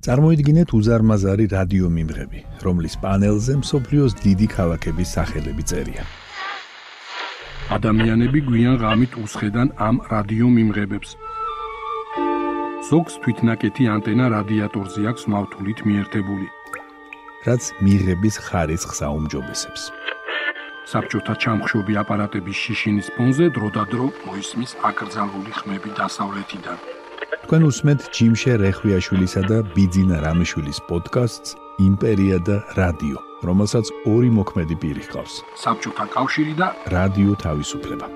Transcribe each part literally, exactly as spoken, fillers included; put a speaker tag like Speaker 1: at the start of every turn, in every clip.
Speaker 1: წარმოიდგინეთ უზარმაზარი რადიო მიმღები, რომლის პანელზე მსოფლიოს დიდი ქალაქების სახელები წერია.
Speaker 2: ადამიანები გვიან ღამით უსხედან ამ რადიო მიმღებებს. ზოგს თვითნაკეთი ანტენა რადიატორზე აქვს მავთულით მიერთებული,
Speaker 1: რაც მიღების ხარისხს აუმჯობესებს.
Speaker 2: საბჭოთა ჩამხშობი აპარატების შიშინის ფონზე დროდადრო მოისმის აკრძალული ხმები დასავლეთიდან.
Speaker 1: თქვენ უსმენთ ჯიმშე რეხვიაშვილისა და ბიძინა რამიშვილის პოდკასტს იმპერია და რადიო, რომელსაც ორი მოქმედი პირი ჰყავს.
Speaker 2: საბჭოთა კავშირი და
Speaker 1: რადიო თავისუფლება.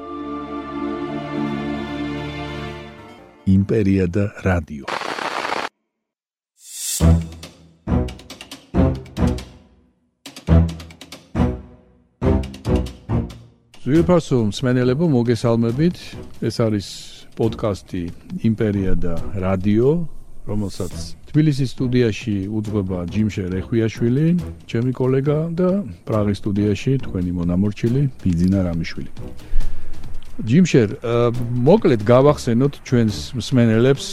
Speaker 1: იმპერია და რადიო. ზვირფასო მსმენელებო, მოგესალმებით. ეს არის პოდკასტი იმპერია და რადიო, რომელსაც თბილისის სტუდიაში უძღვება ჯიმშე რეხვიაშვილი, ჩემი კოლეგა და პრაღის სტუდიაში თქვენი მონამორჩილი ბიძინა რამიშვილი. ჯიმშე, მოკლედ გავახსენოთ ჩვენს მსმენელებს,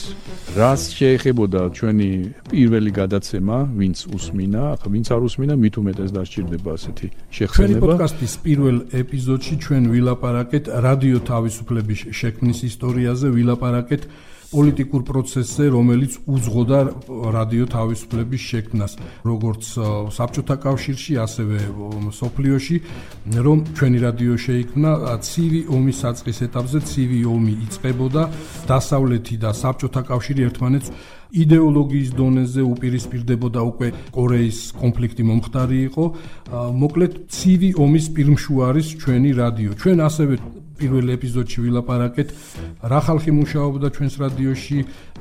Speaker 1: რას შეეხებოდა ჩვენი პირველი გადაცემა, ვინც უსმინა, ახლა ვინც არ უსმინა, მით უმეტეს დასჭირდება ასეთი შეხსენება.
Speaker 2: ჩვენი პოდკასტის პირველ ეპიზოდში ჩვენ ვილაპარაკეთ რადიო თავისუფლების შექმნის ისტორიაზე, ვილაპარაკეთ პოლიტიკურ პროცესზე, რომელიც უძღოდა რადიო თავისუფლების შექმნას, როგორც საბჭოთა კავშირში, ასევე მსოფლიოში, რომ ჩვენი რადიო შეიქმნა ცივი ომის საწყის ეტაპზე. ცივი ომი იწყებოდა, დასავლეთი და საბჭოთა კავშირი ერთმანეთს იდეოლოგიის დონეზე უპირისპირდებოდა, უკვე კორეის კონფლიქტი მომხდარი იყო. მოკლედ, ცივი ომის პირმშუარის ჩვენი რადიო. ჩვენ ასევე პირველ ეპიზოდში ვილაპარაკეთ, რა ხალხი მუშაობდა ჩვენს რადიოში,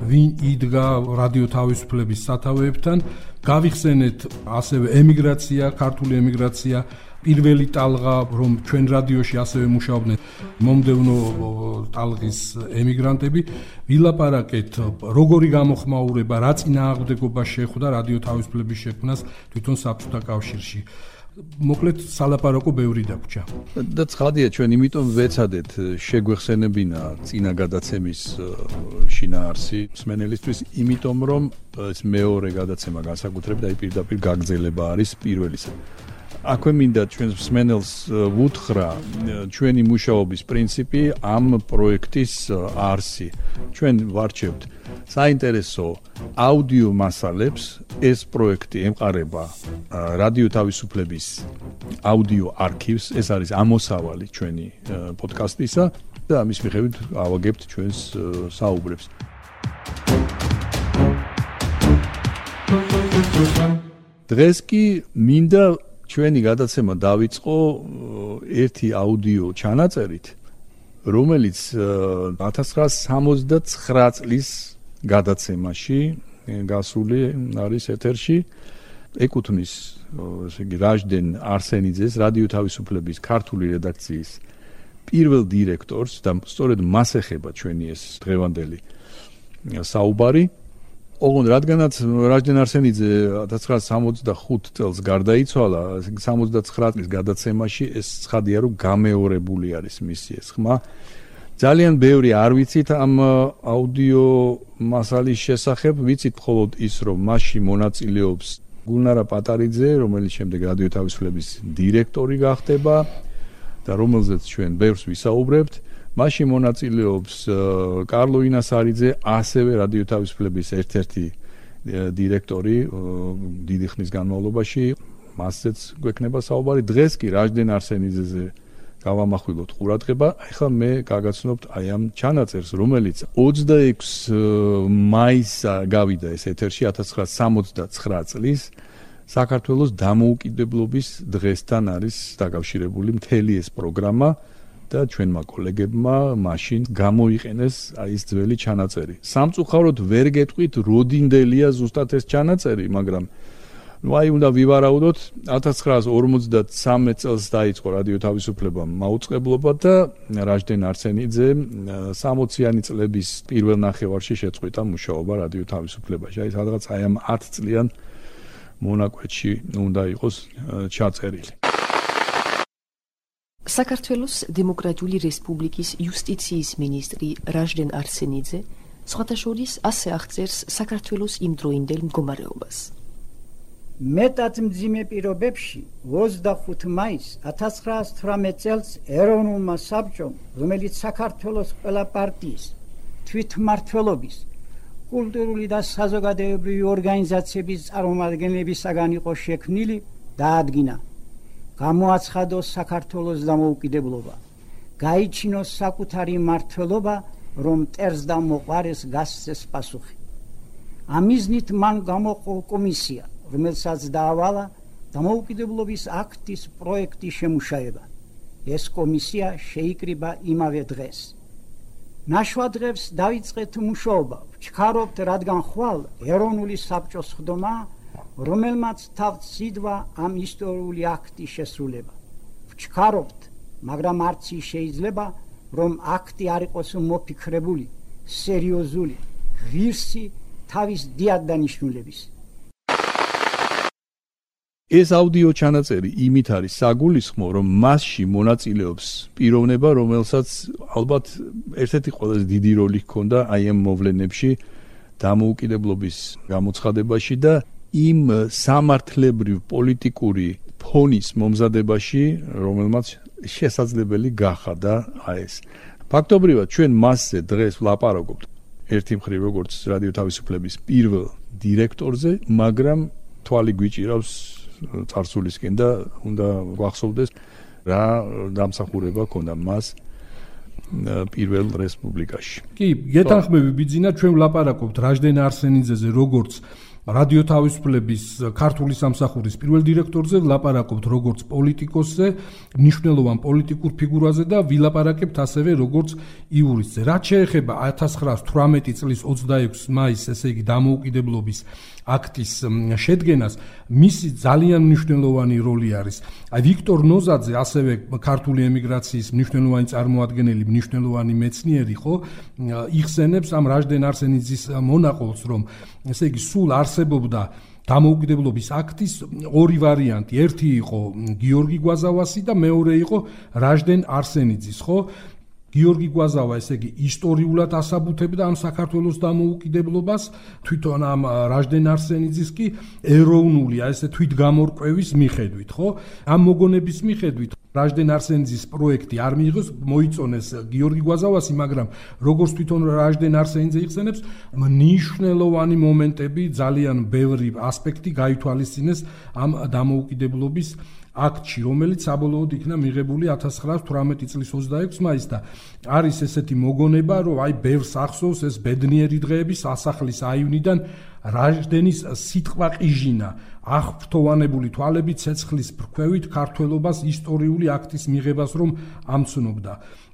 Speaker 2: ვინ იდგა რადიო თავისუფლების სათავეებთან. გავიხსენეთ ასევე ემიგრაცია, ქართული ემიგრაცია, პირველი ტალღა, რომ ჩვენ რადიოში ასევე მუშაობდნენ მომდევნო ტალღის ემიგრანტები. ვილაპარაკეთ, როგორი გამოხმაურება, რა წინააღმდეგობა შეხვდა რადიო თავისუფლების შექმნას თვითონ საბჭოთა კავშირში. მოკლედ, სალაპარაკო ბევრი დაგვრჩა.
Speaker 1: და ცხადია, ჩვენ იმიტომ ვეცადეთ შეგვეხსენებინა წინა გადაცემის შინაარსი მსმენელისთვის, იმიტომ რომ ეს მეორე გადაცემა განსაკუთრებით აი პირდაპირ გაგრძელება არის პირველისა. აქვე მინდა ჩვენს მსმენელს ვუთხრა ჩვენი მუშაობის პრინციპი, ამ პროექტის არსი. ჩვენ ვარჩევთ საინტერესო აუდიო მასალებს. ეს პროექტი ემყარება რადიო თავისუფლების აუდიო არქივს. ეს არის ამოსავალი ჩვენი პოდკასტისა და ამის მიხედვით ავაგებთ ჩვენს საუბრებს. დღეს კი მინდა ჩვენი გადაცემა დავიწყო ერთი აუდიო ჩანაწერით, რომელიც ათას ცხრაასი სამოცდაცხრა წლის გადაცემაში გასული არის ეთერში. ეკუთვნის ესე იგი რაჟდენ არსენიძეს, რადიო თავისუფლების ქართული რედაქციის პირველ დირექტორს და სწორედ მას ეხება ჩვენი ეს დღევანდელი საუბარი. ოღონდ რადგანაც რაჟდენ არსენიძე ათას ცხრაასი სამოცდახუთ წელს გარდაიცვალა, სამოცდაცხრა წლის გადაცემაში ეს ცხადია, რომ გამეორებული არის მისი ეს ხმა. ძალიან ბევრი არ ვიცით ამ აუდიო მასალის შესახებ, ვიცით მხოლოდ ის, რომ მასში მონაწილეობს გულნარა პატარიძე, რომელიც შემდეგ რადიო თავისუფლების დირექტორი გახდება და რომელზეც ჩვენ ბევრს ვისაუბრებთ. მასში მონაწილეობს კარლო ინასარიძე, ასევე რადიო თავისუფლების ერთ-ერთი დირექტორი დიდი ხნის განმავლობაში, მასზეც გვექნება საუბარი. დღეს კი რაჟდენ არსენიძეზე გავამახვილოთ ყურადღება. ახლა მე გაგაცნობთ აი ამ ჩანაწერს, რომელიც ოცდაექვსი მაისს გავიდა ეს ეთერში ათას ცხრაასი სამოცდაცხრა წლის საქართველოს დამოუკიდებლობის დღესთან არის დაკავშირებული მთელი ეს პროგრამა. და ჩვენმა კოლეგებმა მაშინ გამოიყენეს აი ეს ძველი ჩანაწერი. სამწუხაროდ ვერ გეტყვით როდინდელია ზუსტად ეს ჩანაწერი, მაგრამ ნუ აი უნდა ვივარაუდოთ, ათას ცხრაასი ორმოცდათრამეტ წელს დაიწყო რადიო თავისუფლება მაუწყებლობა და რაჟდენ არსენიძე სამოციანი წლების პირველ ნახევარში შეწყვიტა მუშაობა რადიო თავისუფლებაში. აი სადღაც აი ამ ათ წლიან მონაკვეთში უნდა იყოს ჩაწერილი.
Speaker 3: საქართველოს დემოკრატიული რესპუბლიკის იუსტიციის მინისტრი რაჟდენ არსენიძე სხვათა შორის ასე აღწერს საქართველოს იმდროინდელ მდგომარეობას.
Speaker 4: მეტად მძიმე პირობებში ოცდახუთი მაისს ათას ცხრაასი თვრამეტ წელს ეროვნულმა საბჭომ, რომელიც საქართველოს ყველა პარტიის თვითმმართველობის კულტურული და საზოგადოებრივი ორგანიზაციების წარმომადგენლებისაგან იყო შექმნილი, დაადგინა, გამოაცხადოს საქართველოს დამოუკიდებლობა, გაიჩინოს საკუთარი მმართველობა, რომ მტერს და მოყვარეს გასცეს პასუხი. ამიზნით მან გამოყო კომისია, რომელსაც დაავალა დამოუკიდებლობის აქტის პროექტის შემუშავება. ეს კომისია შეიკრიბა იმავე დღეს. ნაშვადღებს დაიწყეთ მუშაობა, ვჩქარობთ, რადგან ხვალ ეროვნული საბჭოს ხდომა, რომელმაც თავთ სიდვა ამ ისტორიული აქტის შესრულება. ვჩქარობთ, მაგრამ არც ის შეიძლება, რომ აქტი არ იყოს მოფიქრებული, სერიოზული, ღირსი თავის დიად დანიშნულების.
Speaker 1: ეს აუდიო ჩანაწერი იმით არის საგულისხმო, რომ მასში მონაწილეობს პიროვნება, რომელსაც ალბათ ერთ-ერთი ყველაზე დიდი როლი ჰქონდა აი ამ მოვლენებში დამოუკიდებლობის გამოცხადებაში და იმ სამართლებრივ პოლიტიკური ფონის მომზადებაში, რომელმაც შესაძლებელი გახადა აი ეს. ფაქტობრივად ჩვენ მასზე დღეს ვლაპარაკობთ ერთი მხრივ როგორც რადიო თავისუფლების პირველ დირექტორზე, მაგრამ თვალი გვიჭირავს წარსულისკენ და უნდა გვახსოვდეს რა დამსახურება ჰქონდა მას პირველ რესპუბლიკაში.
Speaker 2: კი, გეთანხმები ბიძინა, ჩვენ ვლაპარაკობთ რაჟდენ არსენიძეზე, როგორც რადიო თავისუფლების ქართული სამსახურის პირველ დირექტორზე, ვლაპარაკობთ როგორც პოლიტიკოსზე, მნიშვნელოვან პოლიტიკურ ფიგურაზე და ვილაპარაკებთ ასევე როგორც იურისტზე. რაც შეეხება ათას ცხრაასი თვრამეტი წლის ოცდაექვსი მაისს, ესე იგი დამოუკიდებლობის აქტის შედგენას, მისი ძალიან მნიშვნელოვანი როლი არის. აი ვიქტორ ნოზაძე, ასევე ქართული ემიგრაციის მნიშვნელოვანი წარმოადგენელი, მნიშვნელოვანი მეცნიერი, ხო, იხსენებს ამ რაჟდენ არსენიძის მონაყოლს, რომ ესე იგი სულ არსებობდა დამოუკიდებლობის აქტის ორი ვარიანტი. ერთი იყო გიორგი გვაზავასი და მეორე იყო რაჟდენ არსენიძის, ხო? გიორგი გვაზავა, ესე იგი, ისტორიულად ასაბუთებდა ამ საქართველოს დამოუკიდებლობას, თვითონ ამ რაჟდენ არსენიძის კი ეროვნული, ესე თვითგამორკვევის მიხედვით, ხო? ამ მოგონების მიხედვით რაჟდენ არსენიძის პროექტი არ მიიღოს, მოიწონეს გიორგი გვაზავასი, მაგრამ როგორც თვითონ რაჟდენ არსენიძე იხსენებს, მნიშვნელოვანი მომენტები, ძალიან ბევრი ასპექტი გაითვალისწინეს ამ დამოუკიდებლობის აქტში, რომელიც საბოლოოდ იქნა მიღებული ათას ცხრაასი თვრამეტი წლის ოცდაექვსი მაისს და არის ესეთი მოგონება, რომ აი ბევრს ახსოვს ეს ბედნიერი დღეების ასახლის აივნიდან რაჟდენის სიტყვა ყიჟინა, აღფრთოვანებული თვალებით ცეცხლის ფრქვევით ქართველობას ისტორიული აქტის მიღებას რომ ამცნობდა.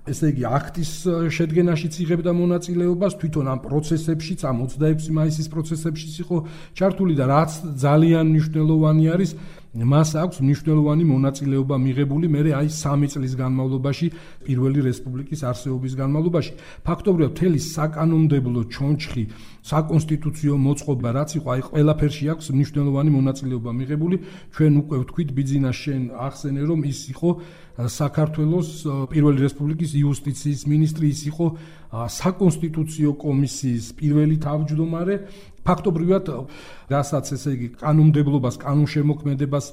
Speaker 2: ესე იგი, აქტის შედგენაშიც იღებდა მონაწილეობას, თვითონ ამ პროცესებშიც, ამ ოცდაექვსი მაისის პროცესებშიც იყო ჩართული და რაც ძალიან მნიშვნელოვანი არის, მას აქვს მნიშვნელოვანი მონაწილეობა მიღებული მერე აი სამი წლის განმავლობაში, პირველი რესპუბლიკის არსებობის განმავლობაში. ფაქტობრივად მთელი საკანონმდებლო ჩონჩხი, საკონსტიტუციო მოწყობა, რაც იყო, აი ყველაფერში აქვს მნიშვნელოვანი მონაწილეობა მიღებული. ჩვენ უკვე ვთქვით, ბიძინა, შენ ახსენე, რომ ის იყო საქართველოს პირველი რესპუბლიკის იუსტიციის მინისტრი, ის იყო საკონსტიტუციო კომისიის პირველი თავმჯდომარე. ფაქტობრივად, რასაც ესე იგი კანონმდებლობას, კანონშემოქმედებას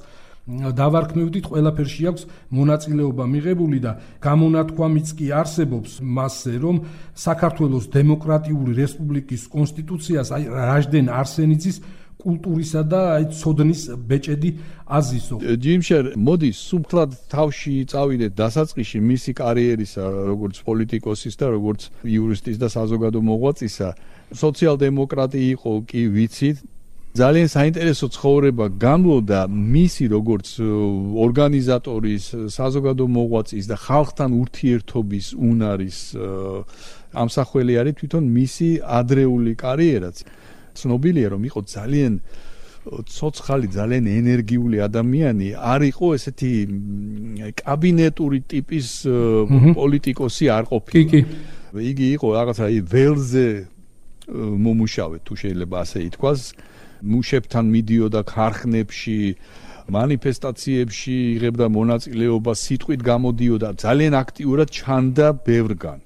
Speaker 2: დავარქმევდით, ყველაფერში აქვს მონაწილეობა მიღებული და გამონათქვამიც კი არსებობს მასზე, რომ საქართველოს დემოკრატიული რესპუბლიკის კონსტიტუციას აი რაჟდენ არსენიძის კულტურისა და აი ცოდნის ბეჭედი აზისო.
Speaker 1: ჯიმშერ, მოდი სუფთად თავში წავიდეთ დასაწყისში მისი კარიერისა, როგორც პოლიტიკოსის და როგორც იურისტის და საზოგადო მოღვაწისა. სოციალ-დემოკრატი იყო, კი ვიცით. ძალიან საინტერესო ცხოვრება განვლოდა მისი როგორც ორგანიზატორის, საზოგადო მოღვაწის და ხალხთან ურთიერთობის უნარის ამსახველი არის თვითონ მისი ადრეული კარიერაც. ცნობილია, რომ იყო ძალიან ცოცხალი, ძალიან ენერგიული ადამიანი, არ იყო ესეთი კაბინეტური ტიპის პოლიტიკოსი არ ყოფილა.
Speaker 2: კი, კი.
Speaker 1: იგი იყო რაღაცა ველზე მომუშავე, თუ შეიძლება ასე ითქვას. მუშებთან მიდიოდა ქარხნებში, მანიფესტაციებში იღებდა მონაწილეობას, სიტყვით გამოდიოდა, ძალიან აქტიურად ჩანდა ბევრგან.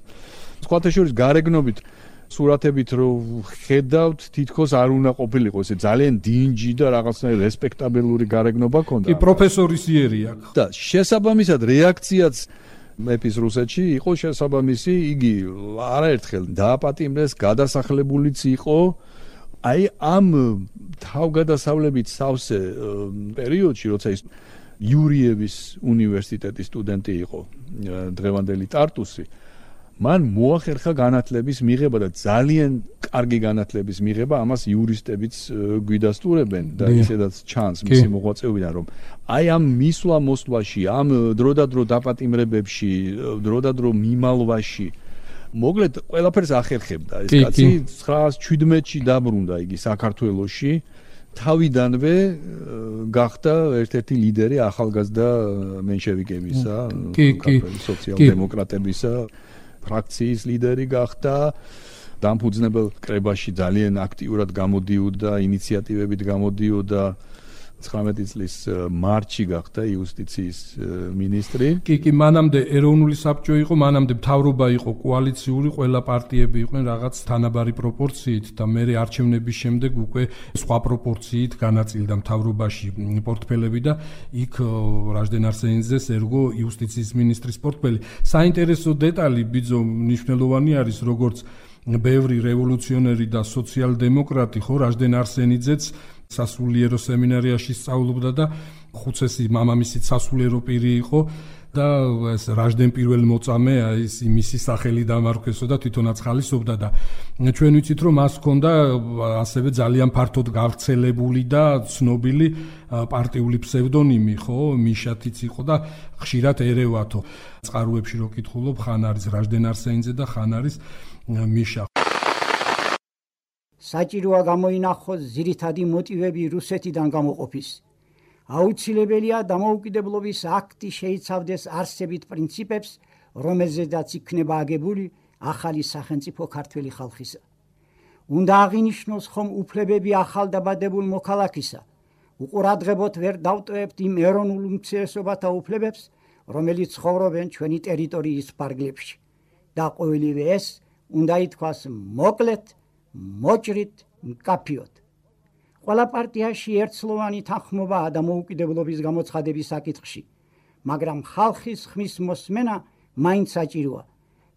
Speaker 1: სხვათა შორის გარეგნობით სურათებით რომ ხედავთ, თითქოს არ უნდა ყოფილიყო ესე ძალიან დინჯი და რაღაცნაირი რესპექტაბელური გარეგნობა ქონდა.
Speaker 2: კი, პროფესორის იერი აქვს.
Speaker 1: და შესაბამისად რეაქციაც მეფის რუსეთში იყო შესაბამისი, იგი არაერთხელ დააპატიმრეს, გადასახლებულიც იყო. აი ამ თავგადასავლებით სავსე პერიოდში, როცა ის იურიევის უნივერსიტეტის სტუდენტი იყო, დღევანდელი ტარტუსი, მან მოახერხა განათლების მიღება და ძალიან კარგი განათლების მიღება, ამას იურისტებიც გვიდასტურებენ და ისედაც ჩანს მისი მოღვაწეობიდან, რომ აი ამ მისვლა მოსვლაში, ამ დროდადრო დაპატიმრებებში, დროდადრო მიმალვაში მოკლედ ყველაფერს ახერხებდა ეს კაცი. ცხრაას შვიდმეტში დაბრუნდა იგი საქართველოში, თავიდანვე გახდა ერთ-ერთი ლიდერი ახალგაზრდა მენშევიკებისა, სოციალ-დემოკრატებისა ფრაქციის ლიდერი გახდა. დამფუძნებელ კრებაში ძალიან აქტიურად გამოდიოდა, ინიციატივებით გამოდიოდა. ცხრამეტი წლის მარტში გახდა იუსტიციის მინისტრი.
Speaker 2: კი, კი, მანამდე ეროვნული საბჭო იყო, მანამდე მთავრობა იყო კოალიციური, ყველა პარტიები იყვნენ რაღაც თანაბარი პროპორციით და მე არჩევნების შემდეგ უკვე სხვა პროპორციით განაწილდა მთავრობაში პორტფელები და იქ რაჟდენ არსენიძეს ერგო იუსტიციის მინისტრის პორტფელი. საინტერესო დეტალი ბიძო მნიშვნელოვანი არის, როგორც ბევრი რევოლუციონერი და სოციალ-დემოკრატი ხო რაჟდენ არსენიძეც სასულიერო სემინარიაში სწავლობდა და ხუცესი მამამისიც სასულიერო პირი იყო და ეს რაჟდენ პირველ მოწამე ის მისი სახელი დამარქვესო და თვითონაც ხალისობდა და ჩვენ ვიცით რომ მას ჰქონდა ასევე ძალიან ფართოდ გავრცელებული და ცნობილი პარტიული ფსევდონიმი ხო მიშათიც იყო და ხშირად ერევათო წყაროებში რო კითხულობ ხან არის რაჟდენ არსენიძე და ხან არის მიშა.
Speaker 4: საჭიროა გამოინახოს ძირითადი მოტივები რუსეთიდან გამოყოფის. აუცილებელია დამოუკიდებლობის აქტი შეიცავდეს არსებით პრინციპებს, რომელზედაც იქნება აგებული ახალი სახელმწიფო ქართველი ხალხისა. უნდა აღინიშნოს ხომ უფლებები ახალდაბადებულ მოქალაქისა. უყურადღებოდ ვერ დავტოვებთ იმ ეროვნულ უმცირესობათა უფლებებს, რომელიც ცხოვრობენ ჩვენი ტერიტორიის ფარგლებში. და ყოველივე ეს უნდა ითქვას მოკლედ, მოჭრით, მკაფიოდ. ყველა პარტიაში ერთსლოვანი თანხმობაა დამოუკიდებლობის გამოცხადების საკითხში, მაგრამ ხალხის ხმის მოსმენა მაინც საჭიროა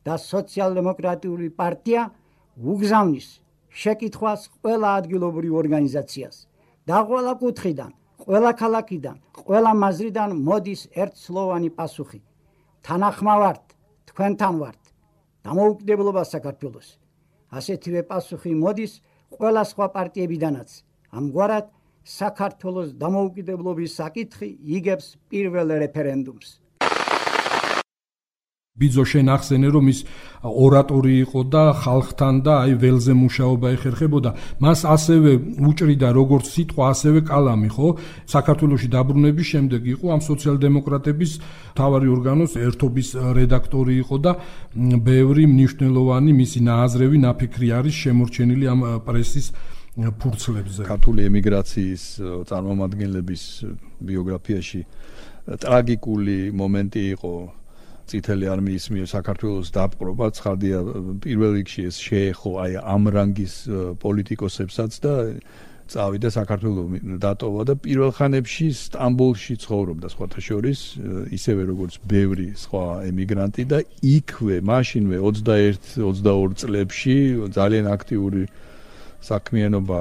Speaker 4: და სოციალ-დემოკრატიული პარტია უგზავნის შეკითხვას ყველა ადგილობრივ ორგანიზაციას და ყველა კუთხიდან, ყველა ქალაქიდან, ყველა მაზრიდან მოდის ერთსლოვანი პასუხი. თანახმა ვართ, თქვენთან ვართ, დამოუკიდებლობა საქართველოს. ასეთივე პასუხი მოდის ყველა სხვა პარტიებიდანაც. ამგვარად საქართველოს დამოუკიდებლობის საკითხი იგებს პირველ რეფერენდუმს.
Speaker 2: ბიძო შენ ახსენე რომ ის ორატორი იყო და ხალხთან და აი ველზე მუშაობა ეხერხებოდა. მას ასევე უჭრიდა როგორც სიტყვა, ასევე კალამი, ხო? საქართველოში დაბრუნების შემდეგ იყო ამ სოციალ-დემოკრატების მთავარი ორგანოს ერთობის რედაქტორი იყო და ბევრი მნიშვნელოვანი მისი ნააზრევი ნაფიქრი არის შემორჩენილი ამ პრესის ფურცლებზე.
Speaker 1: ქართული ემიგრაციის წარმომადგენლების ბიოგრაფიაში ტრაგიკული მომენტი იყო წითელი არმიის მიერ საქართველოს დაპყრობა. ცხადია პირველ რიგში ეს შეეხო აი ამ რანგის პოლიტიკოსებსაც და წავიდა საქართველოს დატოვა და პირველ ხანებში სტამბოლში ცხოვრობდა სხვათა შორის ისევე როგორც ბევრი სხვა ემიგრანტი და იქვე მაშინვე ოცდაერთი ოცდაორი წლებში ძალიან აქტიური საქმიანობა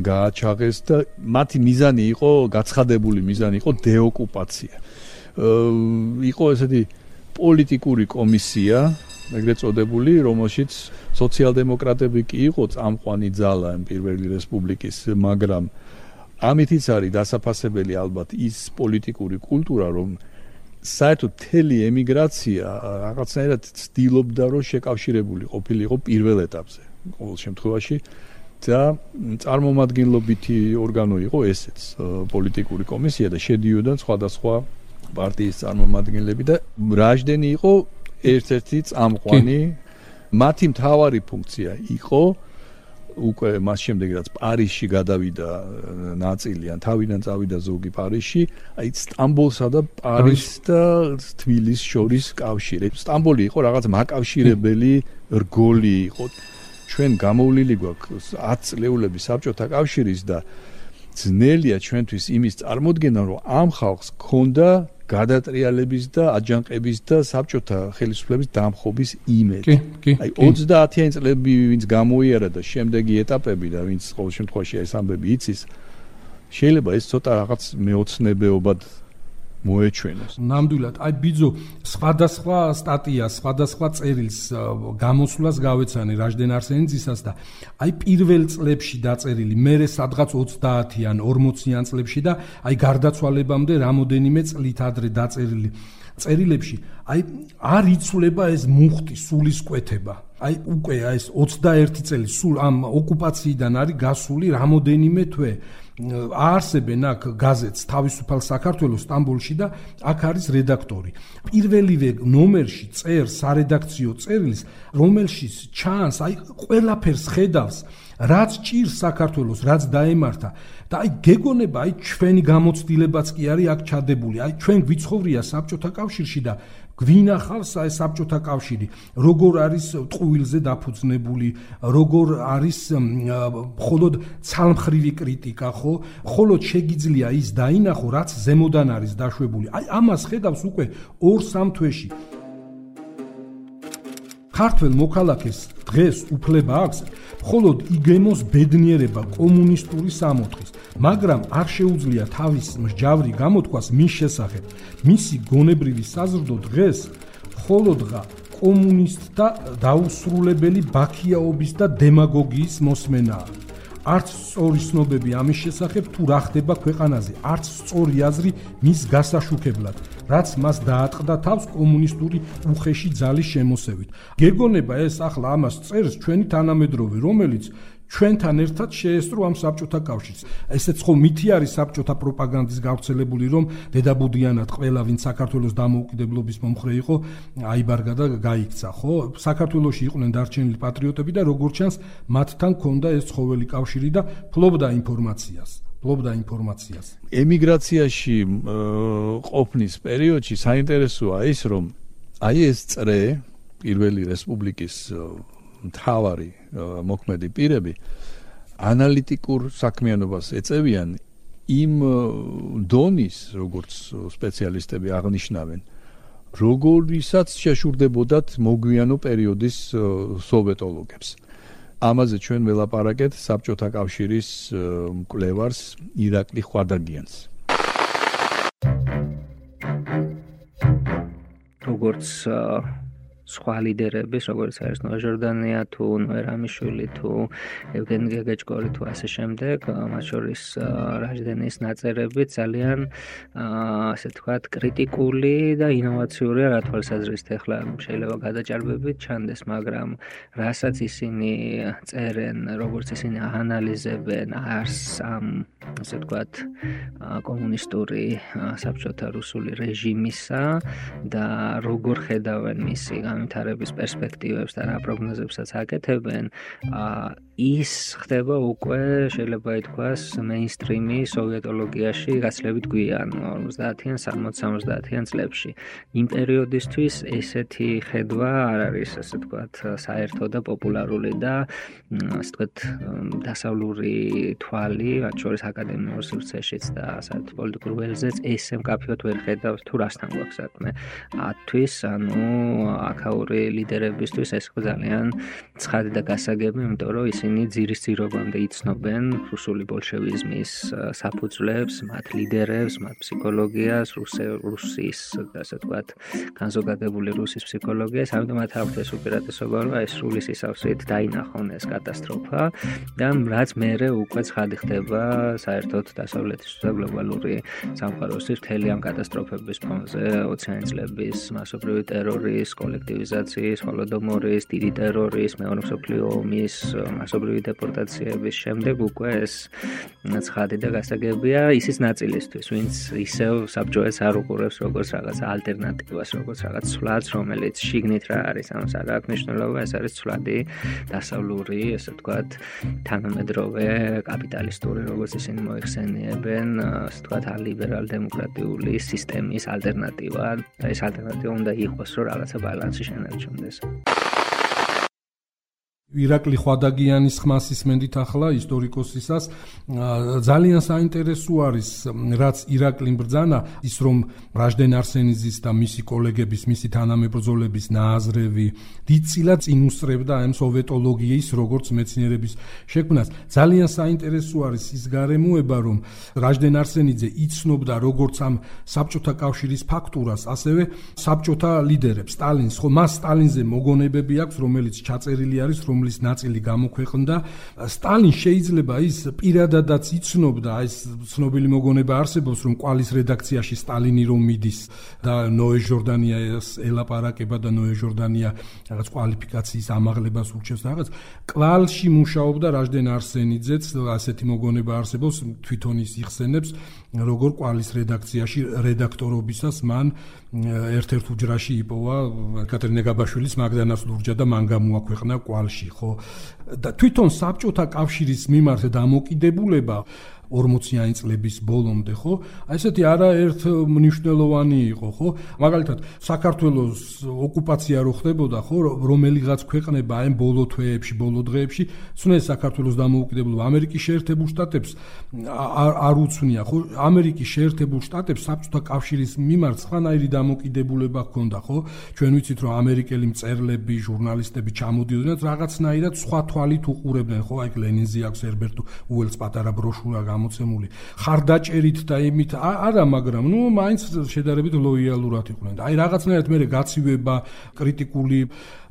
Speaker 1: გააჩაღეს და მათი მიზანი იყო გაცხადებული მიზანი იყო დეოკუპაცია. იყო ესეთი პოლიტიკური კომისია, ეგრეთ წოდებული, რომელშიც სოციალ-დემოკრატები კი იყო წამყვანი ძალა პირველი რესპუბლიკის, მაგრამ ამითიც არის დასაფასებელი ალბათ ის პოლიტიკური კულტურა, რომ საერთოდ მთელი ემიგრაცია რაღაცნაირად ცდილობდა, რომ შეკავშირებული ყოფილიყო პირველ ეტაპზე, ყოველ შემთხვევაში და წარმომადგენლობითი ორგანო იყო ესეც პოლიტიკური კომისია და შედიოდა სხვადასხვა პარტიის წარმომადგენლები და რაჟდენი იყო ერთ-ერთი წამყვანი. მათი მთავარი ფუნქცია იყო უკვე მას შემდეგ რაც პარიზში გადავიდა ნაწილიან, თავიდან წავიდა ზოგი პარიზში, აი სტამბოლსა და პარიზს და თბილისს შორის კავშირი. სტამბოლი იყო რაღაც მაკავშირებელი რგოლი იყო. ჩვენ გამოვლილი გვაქვს ათი წლეულების საბჭოთა კავშირის და ძნელია ჩვენთვის იმის წარმოდგენა, რომ ამ ხალხს ქონდა გადატრიალების და აჯანყების და საბჭოთა ხელისუფლების დამხობის იმედი. აი ოცდაათიანი წლები ვინც გამოიარა და შემდეგი ეტაპები და ვინც ყოველ შემთხვევაში ეს ამბები იცის, შეიძლება ეს ცოტა რაღაც მეოცნებეობად მოეჩვენოს.
Speaker 2: ნამდვილად, აი ბიძო, სხვადასხვა სტატია, სხვადასხვა წერილს გამოსვლას გავეცანი რაჟდენ არსენიძისას და აი პირველ წლებში დაწერილი, მერე სადღაც ოცდაათიან, ორმოციან წლებში და აი გარდაცვალებამდე რამოდენიმე წლით ადრე დაწერილი წერილებში, აი არ იცვლება ეს მუხტი, სულისკვეთება. აი უკვე ეს ოცდაერთი წელი სულ ამ ოკუპაციიდან არის გასული რამოდენიმე თვე. აარსებენ აქ გაზეთს თავისუფალ საქართველოს სტამბოლში და აქ არის რედაქტორი. პირველივე ნომერში წერს სარედაქციო წერილს, რომელშიც ჩანს, აი ყველაფერს ხედავს, რაც ჭირს საქართველოს, რაც დაემართა და აი გეგონება, აი ჩვენი გამოცდილებაც კი არის აქ ჩადებული. აი ჩვენ გვიცხოვრია საბჭოთა კავშირში და გვინახავს აი საბჭოთა კავშირი, როგორ არის ტყუილზე დაფუძნებული, როგორ არის მხოლოდ ცალმხრივი კრიტიკა, ხო? მხოლოდ შეგიძლია ის დაინახო, რაც ზემოდან არის დაშვებული. აი ამას ხედავს უკვე ორ-სამ თვეში. ქართველ მოქალაქეს დღეს უფლება აქვს მხოლოდ იგემოს ბედნიერება კომუნისტური სამოთხის, მაგრამ არ შეუძლია თავის მსჯავრი გამოთქვას მის შესახებ. მისი გონებრივი საზრდო დღეს მხოლოდღა კომუნისტთა დაუსრულებელი ბაქიაობის და დემაგოგიის მოსმენაა. არც სწორი ცნობები ამის შესახებ თუ რა ხდება ქვეყანაზე, არც სწორი აზრი მის გასაშუქებლად, რაც მას დაატყდა თავს კომუნისტური უხეში ძალის შემოსევით. გეგონება ეს ახლა ამას წერს ჩვენი თანამედროვე, რომელიც ჩვენთან ერთად შეესწრო ამ საბჭოთა კავშირს. ესეც ხო მითი არის საბჭოთა პროპაგანდის გავრცელებული, რომ დედაბუდიანად ყველა ვინც საქართველოს დამოუკიდებლობის მომხრე იყო, აიბარგა და გაიქცა, ხო? საქართველოში იყვნენ დარჩენილი პატრიოტები და როგორც ჩანს, მათთან ჰქონდა ეს ცხოველი კავშირი და ფლობდა ინფორმაციას. ფლობდა ინფორმაციას.
Speaker 1: ემიგრაციაში ყოფნის პერიოდში საინტერესოა ის, რომ აი ეს წრე პირველი რესპუბლიკის მთავარი მოქმედი პირები ანალიტიკურ საქმიანობას ეწევიან იმ დონის, როგორც სპეციალისტები აღნიშნავენ, როგორისაც შეშურდებოდათ მოგვიანო პერიოდის სოვეტოლოგებს. ამაზე ჩვენ ველაპარაკეთ საბჭოთა კავშირის მკვლევარს ირაკლი ხვადაგიანს.
Speaker 5: როგორც სხვა ლიდერების, როგორც არის ნოე ჟორდანია თუ ნოე რამიშვილი თუ ევგენი გეგეჭკორი თუ ასე შემდეგ, მათ შორის რაჟდენის ნაწერები ძალიან ასე ვთქვათ კრიტიკული და ინოვაციურია რა თვალსაზრისით. ახლა შეიძლება გადაჭარბებით ჩანდეს, მაგრამ რასაც ისინი წერენ, როგორც ისინი ანალიზებენ არს ამ ასე ვთქვათ კომუნისტური საბჭოთა რუსული რეჟიმისა და როგორ ხედავენ მისი განვითარების პერსპექტივებს და რა პროგნოზებსაც აკეთებენ, ის ხდება უკვე შეიძლება ითქვას მეინსტრიმი სოვიეტოლოგიაში გაცილებით გვიან ორმოცდაათიან სამოცდაათიან წლებში. იმ პერიოდისთვის ესეთი ხედვა არ არის ასე ვთქვათ საერთო და პოპულარული და ასე ვთქვათ დასავლური თვალი, მათ შორის აკადემიურ სივრცეშიც და საერთოდ პოლიტიკურ ველზეც ესე მკაფიოდ ვერ ხედავს თუ რასთან გვაქვს საქმე. ათთვის ანუ აქაური ლიდერებისთვის ეს ძალიან ცხადი და გასაგები, იმიტომ რომ ისინი ძირის ძირობამდე იცნობენ რუსული ბოლშევიზმის საფუძვლებს, მათ ლიდერებს, მათ ფსიქოლოგიას, რუსის, ასე ვთქვათ, განზოგადებული რუსის ფსიქოლოგიას, ამიტომ მათ აქვთ ეს უპირატესობა, რომ ეს სრული სისავსით დაინახონ ეს კატასტროფა და რაც მერე უკვე ცხადი ხდება საერთოდ დასავლეთის და გლობალური სამყაროსთვის მთელი ამ კატასტროფების ფონზე ოციანი წლების მასობრივი ტერორის, კოლექტივიზაციის, ჰოლოდომორის, დიდი ტერორის, მეორე მსოფლიო ომის, მასობრივი დეპორტაციების შემდეგ უკვე ეს ცხადი და გასაგებია ისის ნაწილისთვის, ვინც ისევ საბჭოებს არ უყურებს როგორც რაღაც ალტერნატივას, როგორც რაღაც ცვლადს, რომელიც შიგნით რა არის, ამას არ აქვს მნიშვნელობა, ეს არის ცვლადი დასავლური, ესე ვთქვათ, თანამედროვე კაპიტალისტური, როგორც ისინი მოიხსენიებენ, ასე ვთქვათ, ლიბერალ-დემოკრატიული სისტემის ალტერნატივა და ეს ალტერნატივა უნდა იყოს, რომ რაღაცა ბალანსი შენარჩუნდეს.
Speaker 2: ირაკლი ხვადაგიანის ხმას ისმენდით ახლა ისტორიკოსისას ძალიან საინტერესო არის რაც ირაკლიმ ბრძანა ის რომ რაჟდენ არსენიძის და მისი კოლეგების მისი თანამებრძოლების ნააზრევი დიდწილად წინ უსწრებდა ამ სოვეტოლოგიის როგორც მეცნიერების შექმნას ძალიან საინტერესო არის ის გარემოება რომ რაჟდენ არსენიძე იცნობდა როგორც ამ საბჭოთა კავშირის ფაქტურას ასევე საბჭოთა ლიდერებს სტალინს ხო მას სტალინზე მოგონებები აქვს რომელიც ჩაწერილი არის რომ რომლის ნაწილი გამოქვეყნდა სტალინი შეიძლება ის პირადადაც იცნობდა ეს ცნობილი მოგონება არსებობს რომ კვალის რედაქციაში სტალინი რომ მიდის და ნოე ჟორდანიას ელაპარაკება და ნოე ჟორდანია რაღაც კვალიფიკაციის ამაღლებას უჩევს რაღაც კვალში მუშაობდა რაჟდენ არსენიძეც ასეთი მოგონება არსებობს თვითონ ის იხსენებს როგორ კვალის რედაქციაში რედაქტორობისას მან ერთ-ერთ უჯრაში იპოვა კატრინე გაბაშვილის მაგდანას ლურჯა და მან გამოაქვეყნა კვალში ხო და თვითონ საბჭოთა კავშირის მიმართ დამოკიდებულება ორმოციანი წლების ბოლომდე ხო აი ესეთი არაერთ მნიშვნელოვანი იყო ხო მაგალითად საქართველოს ოკუპაცია რო ხდებოდა ხო რომელიღაც ქვეყნება აი ბოლო თვეებში ბოლო დღეებში ცნეს საქართველოს დამოუკიდებლობა ამერიკის შეერთებულ შტატებს არ უცნია ხო ამერიკის შეერთებულ შტატებს საბჭოთა კავშირის მიმართ სხვანაირი დამოკიდებულება ჰქონდა ხო ჩვენ ვიცით რომ ამერიკელი მწერლები ჟურნალისტები ჩამოდიოდნენ რაღაცნაირად სხვა თვალით უყურებდნენ ხო აი ლენინზე აქვს ერბერტ უელს პატარა ბროშურა მოცემული ხარდაჭერით და იმით არა მაგრამ ნუ მაინც შედარებით ლოიალურად იყვნენ და აი რაღაცნაირად მე გაცივება კრიტიკული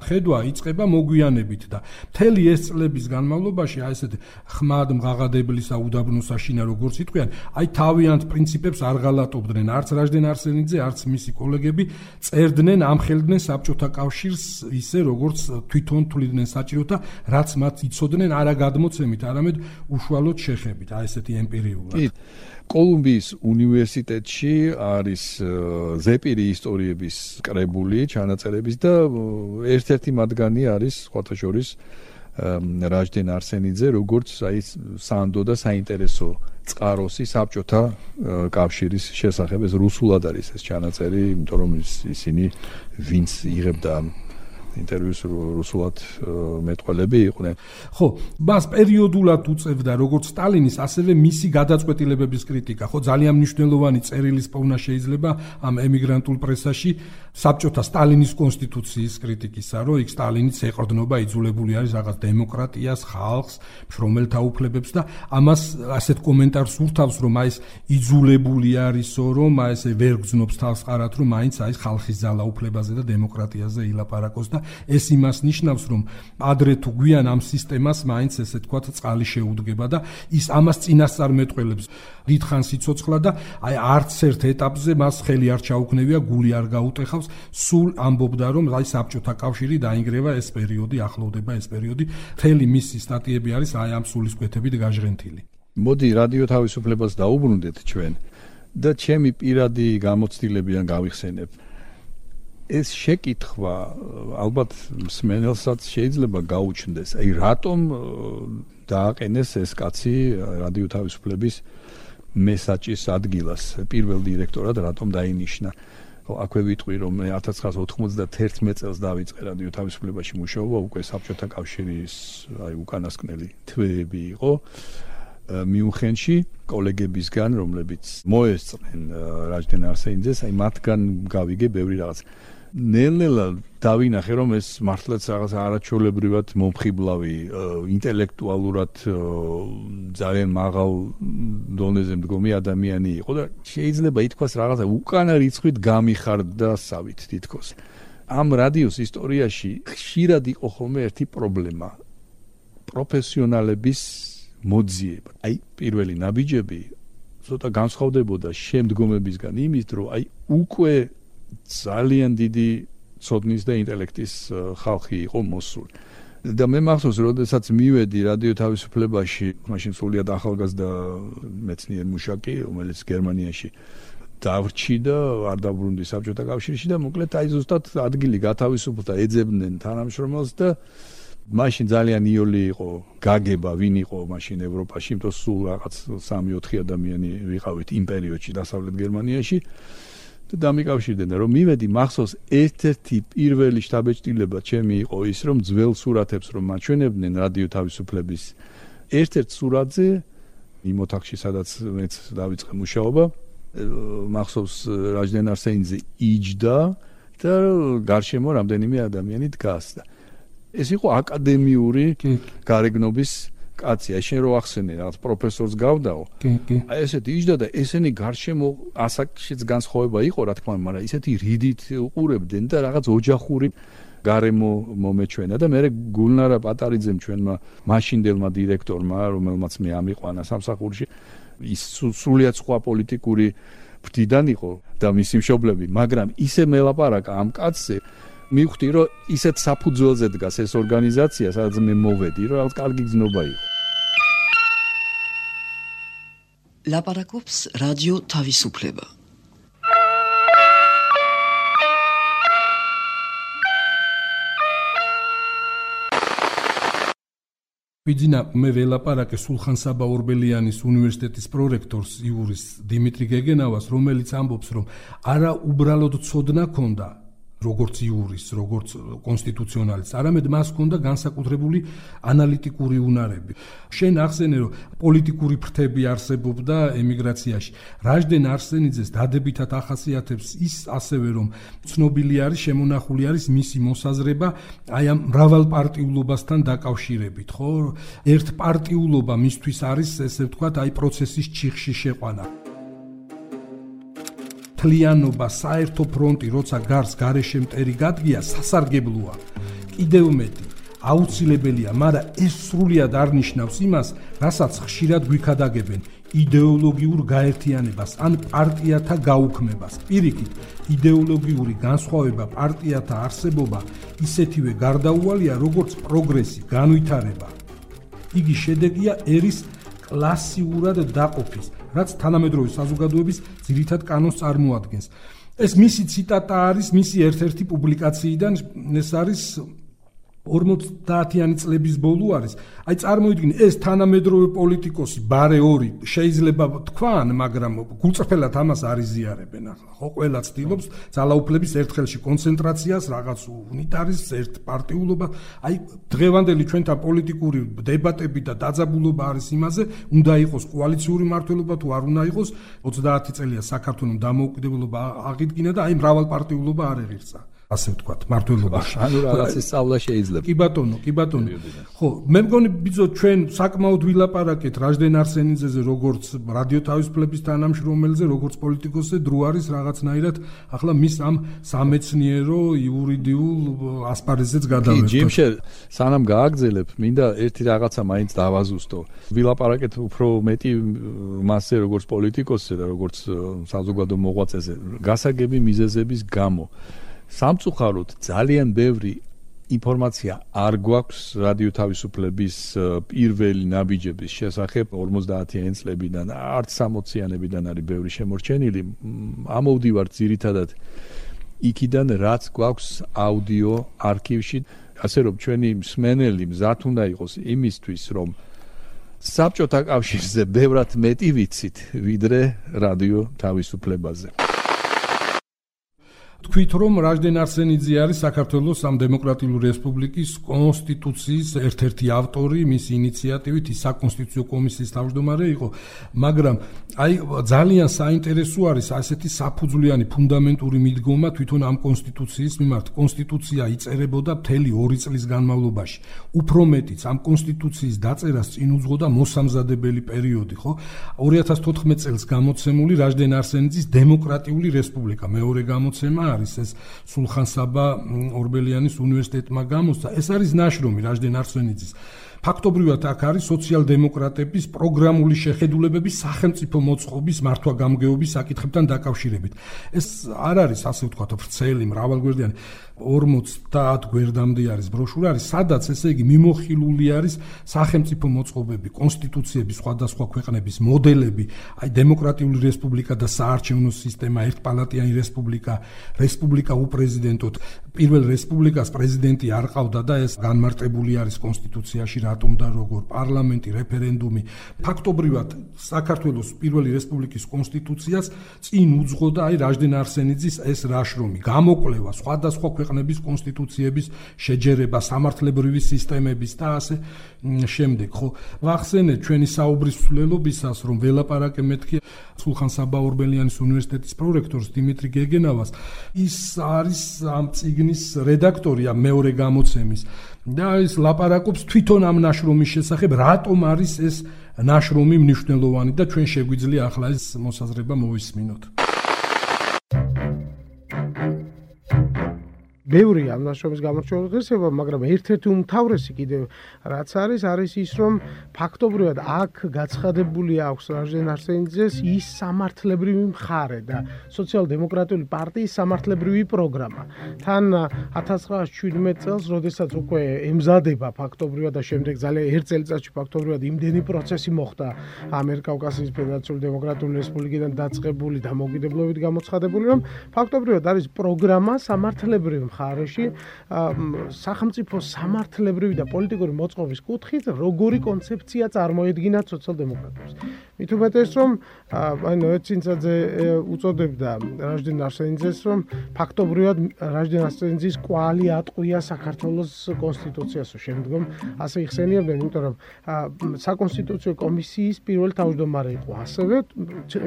Speaker 2: ხედვა იწყება მოგვიანებით და მთელი ეს წლების განმავლობაში აი ესეთ ხმად მღაღადებლისა უდაბნო საშინა როგორც იტყვიან აი თავიანთ პრინციპებს არ ღალატობდნენ არც რაჟდენ არსენიძე არც მისი კოლეგები წერდნენ ამხელდნენ საბჭოთა კავშირს ისე როგორც თვითონ თვლიდნენ საჭიროდ და რაც მათ იცოდნენ არა გადმოცემით არამედ უშუალოდ შეხებით აი ესეთი ემპირიულად
Speaker 1: კოლუმბიის უნივერსიტეტში არის ზეპირი ისტორიების კრებული ჩანაწერების და ერთ-ერთი მათგანი არის სხვათა შორის რაჟდენ არსენიძე როგორც აი სანდო და საინტერესო წყაროსი საბჭოთა კავშირის შესახებ ეს რუსულად არის ეს ჩანაწერი იმიტომ რომ ისინი ვინც იღებდა ინტერვიუს რუსულად მეტყველები იყვნენ.
Speaker 2: ხო, მას პერიოდულად უწევდა როგორც სტალინის, ასევე მისი გადაწყვეტილებების კრიტიკა. ხო, ძალიან მნიშვნელოვანი წერილის პოვნა შეიძლება ამ ემიგრანტულ პრესაში საბჭოთა სტალინის კონსტიტუციის კრიტიკისა, რომ იქ სტალინიც ეყრდნობა იძულებული არის რაღაც დემოკრატიას, ხალხს, მშრომელთა უფლებებს და ამას ასეთ კომენტარს ურთავს, რომ აი ეს იძულებული არისო, რომ აი ესე ვერ გძნობს თავს ყარად, რომ მაინც აი ხალხის ძალაუფლებაზე და დემოკრატიაზე ილაპარაკოს და ეს იმას ნიშნავს, რომ ადრე თუ გვიან ამ სისტემას მაინც ესე თქვა წყალი შეუდგება და ის ამას წინასწარ მეტყველებს. დიდხანს იცოცხლა და აი არც ერთ ეტაპზე მას ხელი არ ჩაუქნევია, გული არ გაუტეხავს, სულ ამბობდა, რომ აი საბჭოთა კავშირი დაინგრევა ეს პერიოდი, ახლოვდება ეს პერიოდი. მთელი მისი სტატიები არის აი ამ სულისკვეთებით გაჟღენთილი.
Speaker 1: მოდი რადიო თავისუფლებას დაუბრუნდეთ ჩვენ და ჩემი პირადი გამოცდილებიდან გავიხსენებ. ეს შეკითხვა ალბათ მსმენელსაც შეიძლება გაუჩნდეს. აი რატომ დააყენეს ეს კაცი რადიო თავისუფლების მესაჭის ადგილას პირველ დირექტორად რატომ დაინიშნა? აქვე ვიტყვი რომ ათას ცხრაას ოთხმოცდაათი წელს დავიწყე რადიო თავისუფლებაში მუშაობა, უკვე საბჭოთა კავშირის აი უკანასკნელი თვეები იყო. მიუნხენში კოლეგებისგან, რომლებიც მოესწრნენ რაჟდენ არსენიძეს, აი მათგან გავიგე ბევრი რაღაც. ნელ-ნელა დავინახე, რომ ეს მართლაც რაღაც არაჩვეულებრივად მომხიბლავი, ინტელექტუალურად ძალიან მაღალ დონეზე მდგომი ადამიანი იყო და შეიძლება ითქვას რაღაცა უკანა რიცხვით გამიხარდასავით თითქოს. ამ რადიოს ისტორიაში ხშირად იყო ხოლმე ერთი პრობლემა. პროფესიონალების მოძიება. აი პირველი ნაბიჯები ცოტა განსხვავდებოდა შემდგომებისგან იმით, რომ აი უკვე ძალიან დიდი ცოდნის და ინტელექტის ხალხი იყო მოსული. და მე მახსოვს, როდესაც მივედი რადიო თავისუფლებაში, მაშინ სულიად ახალგაზრდა მეცნიერ მუშაკი, რომელიც გერმანიაში დავრჩი და არ დაბრუნდი საბჭოთა კავშირში და მოკლედ აი ზუსტად ადგილი გათავისუფლდა, ეძებდნენ თანამშრომელს და მაშინ ძალიან იოლი იყო გაგება, ვინ იყო მაშინ ევროპაში, იმიტომ სულ რაღაც სამი ოთხი ადამიანი ვიყავით იმ პერიოდში დასავლეთ გერმანიაში. და დამიკავშირდნენ რომ მივედი მახსოვს ერთ-ერთი პირველი შტაბეჭდილება ჩემი იყო ის რომ ძველ სურათებს რომ მაჩვენებდნენ რადიო თავისუფლების ერთ-ერთ სურათზე იმ ოთახში სადაც მეც დავიწყე მუშაობა მახსოვს რაჯდენ არსენიძე იჯდა და გარშემო რამდენიმე ადამიანი დგას და ეს იყო აკადემიური გარეგნობის კაცი, აი შენ რო ახსენე რაღაც პროფესორს გავდაო. კი, კი. აი ესეთი იჯდა და ესენი გარშემო ასაკშიც განსხვავება იყო, რა თქმა უნდა, მაგრამ ისეთი რიდით უყურებდნენ და რაღაც ოჯახური გარემო მომეჩვენა და მე გულნარა პატარიძემ ჩვენმა მაშინდელმა დირექტორმა, რომელმაც მე ამიყვანა სამსახურში, ის სრულიად სხვა პოლიტიკური ფრთიდან იყო და მისი მშობლები, მაგრამ ისე მელაპარაკა ამ კაცზე მივხვდი რომ ისეთ საფუძველზე დგას ეს ორგანიზაცია, სადაც მე მოვედი, რომ რაღაც კარგი გზნობა იყო.
Speaker 3: ლაპარაკობს რადიო თავისუფლება.
Speaker 2: ვიძინა მე ველაპარაკე სულხან-საბა ორბელიანის უნივერსიტეტის პრორექტორს იურის დიმიტრი გეგენავას, რომელიც ამბობს რომ არა უბრალოდ ცოდნა ქონდა როგორც იურის, როგორც კონსტიტუციონალის, არამედ მას ჰქონდა განსაკუთრებული ანალიტიკური უნარები. შენ ახსენე, რომ პოლიტიკური ფრთები არსებობდა ემიგრაციაში. რაჯდენ არსენიძეს დადებითად ახასიათებს ის ასევე, რომ ცნობილი არის, შემონახული არის მისი მოსაზრება აი ამ მრავალპარტიულობასთან დაკავშირებით, ხო? ერთპარტიულობა მისთვის არის, ესე ვთქვათ, აი პროცესის ჩიხში შეყვანა. თლიანობა, საერთო ფრონტი, როცა გარს გარეშე მტერი გადგია, სასარგებლოა. კიდევ მეტი, აუცილებელია, მაგრამ ეს სრულიად არ ნიშნავს იმას, რასაც ხშირად გვიქადაგებენ, იდეოლოგიურ გაერთიანებას ან პარტიათა გაუქმებას. პირიქით, იდეოლოგიური განსხვავება, პარტიათა არსებობა ისეთივე გარდაუვალია, როგორც პროგრესი, განვითარება. იგი შედეგია ერის კლასიურად დაყოფის, რაც თანამედროვე საზოგადოების ძირითად კანონს წარმოადგენს. ეს მისი ციტატა არის მისი ერთ-ერთი პუბლიკაციიდან, ეს არის ორმოცდაათიანი წლების ბოლო არის. აი წარმოიდგინე, ეს თანამედროვე პოლიტიკოსი ბარე ორი შეიძლება თქვან, მაგრამ გულწრფელად ამას არ იზიარებენ ახლა. ხო, ყველა ცდილობს ძალაუფლების ერთხელში კონცენტრაციას, რაღაც უნიტარიზმს, ერთპარტიულობა. აი დღევანდელი ჩვენთან პოლიტიკური დებატები და დაძაბულობა არის იმაზე, უნდა იყოს კოალიციური მმართველობა თუ არ უნდა იყოს. ოცდაათი წელია საქართველოს დამოუკიდებლობა აღიდგინა და აი მრავალპარტიულობა არ ეღირსა. ასე ვთქვათ, მართლობაში.
Speaker 1: ანუ რაღაცის სწავლა შეიძლება.
Speaker 2: კი ბატონო, კი ბატონო. ხო, მე მგონი ბიძო ჩვენ საკმაოდ ვილაპარაკეთ რაჯდენ არსენიძეზე, როგორც რადიო თავისუფლების თანამშრომელზე, როგორც პოლიტიკოსზე, დრო არის რაღაცნაირად ახლა მის ამ სამეცნიერო, იურიდიულ ასპარეზზეც გადავერთ.
Speaker 1: კი, ჯიმშე, სანამ გააგზელებ, მინდა ერთი რაღაცა მაინც დავაზუსტო. ვილაპარაკეთ უფრო მეტი მასზე, როგორც პოლიტიკოსზე და როგორც საზოგადო მოღვაწეზე, გასაგები მიზეზების გამო. სამწუხაროდ ძალიან ბევრი ინფორმაცია არ გვაქვს რადიო თავისუფლების პირველი ნაბიჯების შესახებ ორმოცდაათიანი წლებიდან, არც სამოციანებიდან არის ბევრი შემორჩენილი. ამოვდივართ ძირითადად იქიდან, რაც გვაქვს აუდიო არქივში, ასე რომ ჩვენი მსმენელი მზად უნდა იყოს იმისთვის, რომ საბჭოთა კავშირზე ბევრად მეტი ვიცით, ვიდრე რადიო თავისუფლებაზე.
Speaker 2: თქვით რომ რაჯდენ არსენიძე არის საქართველოს ამ დემოკრატიული რესპუბლიკის კონსტიტუციის ერთ-ერთი ავტორი, მისი ინიციატივით ის საკონსტიტუციო კომისიის თავმჯდომარე იყო, მაგრამ აი ძალიან საინტერესო არის ასეთი საფუძვლიანი ფუნდამენტური მიდგომა თვითონ ამ კონსტიტუციის მიმართ. კონსტიტუცია იწერებოდა მთელი ორი წლის განმავლობაში. უფრო მეტიც ამ კონსტიტუციის დაწერას წინ უძღოდა მოსამზადებელი პერიოდი, ხო? ორი ათას თოთხმეტ წელს გამოცემული რაჯდენ არსენიძის დემოკრატიული რესპუბლიკა, მეორე გამოცემა არის ეს სულხან-საბა ორბელიანის უნივერსიტეტმა გამოსცა. ეს არის ნაშრომი რაჯდენ არსენიძის. ფაქტობრივად აქ არის სოციალ-დემოკრატების პროგრამული შეხედულებების სახელმწიფო მოწყობის მართვა-გამგეობის საკითხებთან დაკავშირებით. ეს არ არის ასე ვთქვათ ვრცელი მრავალგვერდიანი ორმოცდაათ გვერდამდე არის ბროშურა არის, სადაც ესე იგი მიმოხილული არის სახელმწიფო მოწყობები, კონსტიტუციების სხვადასხვა ქვეყნების მოდელები, აი დემოკრატიული რესპუბლიკა და საარჩევნო სისტემა, ერთპალატიანი რესპუბლიკა, რესპუბლიკა უპრეზიდენტოდ. პირველ რესპუბლიკას პრეზიდენტი არ ყავდა და ეს განმარტებული არის კონსტიტუციაში, რატომ და როგორ, პარლამენტი, რეფერენდუმი. ფაქტობრივად საქართველოს პირველი რესპუბლიკის კონსტიტუციას წინ უძღოდა აი რაჟდენ არსენიძის ეს რაშრომი, გამოკვლევა სხვადასხვა ქვეყნების კონსტიტუციების შეჯერება, სამართლებრივი სისტემების და ასე შემდეგ, ხო? ვახსენეთ ჩვენი საუბრის მსვლელობისას, რომ ველაპარაკე მეთქი სულხან საბა-ორბელიანის უნივერსიტეტის პრორექტორს დიმიტრი გეგენავას, ის არის ამ წიგნის რედაქტორი ამ მეორე გამოცემის და ის ლაპარაკობს თვითონ ამ ნაშრომის შესახებ, რატომ არის ეს ნაშრომი მნიშვნელოვანი და ჩვენ შეგვიძლია ახლა ეს მოსაზრება მოვისმინოთ.
Speaker 6: ბევრი ამ ნაშრომის გამორჩეული ღირსება, მაგრამ ერთ-ერთი უმთავრესი კიდევ რაც არის, არის ის, რომ ფაქტობრივად აქ გაცხადებული აქვს რაჟდენ არსენიძეს ის სამართლებრივი მხარე და სოციალ-დემოკრატიული პარტიის სამართლებრივი პროგრამა. თან ათას ცხრაასი შვიდმეტ წელს, როდესაც უკვე ემზადება ფაქტობრივად და შემდეგ ძალიან ერთ წელიწადში ფაქტობრივად იმდენი პროცესი მოხდა ამიერკავკასიის ფედერაციული დემოკრატიული რესპუბლიკიდან დაწყებული დამოუკიდებლობით გამოცხადებული, რომ ფაქტობრივად არის პროგრამა სამართლებრივი მხარეში სახელმწიფო სამართლებრივი და პოლიტიკური მოწყობის კუთხით როგორი კონცეფცია წარმოედგინა სოციალ-დემოკრატებს. მით უმეტეს რომ აი ნოეცინცაძე უწოდებდა რაჟდენ არსენიძეს, რომ ფაქტობრივად რაჟდენ არსენიძის კვალი ატყვია საქართველოს კონსტიტუციასო. შემდგომ ასე იხსენიებდნენ, იმიტომ რომ საკონსტიტუციო კომისიის პირველი თავმჯდომარე იყო. ასევე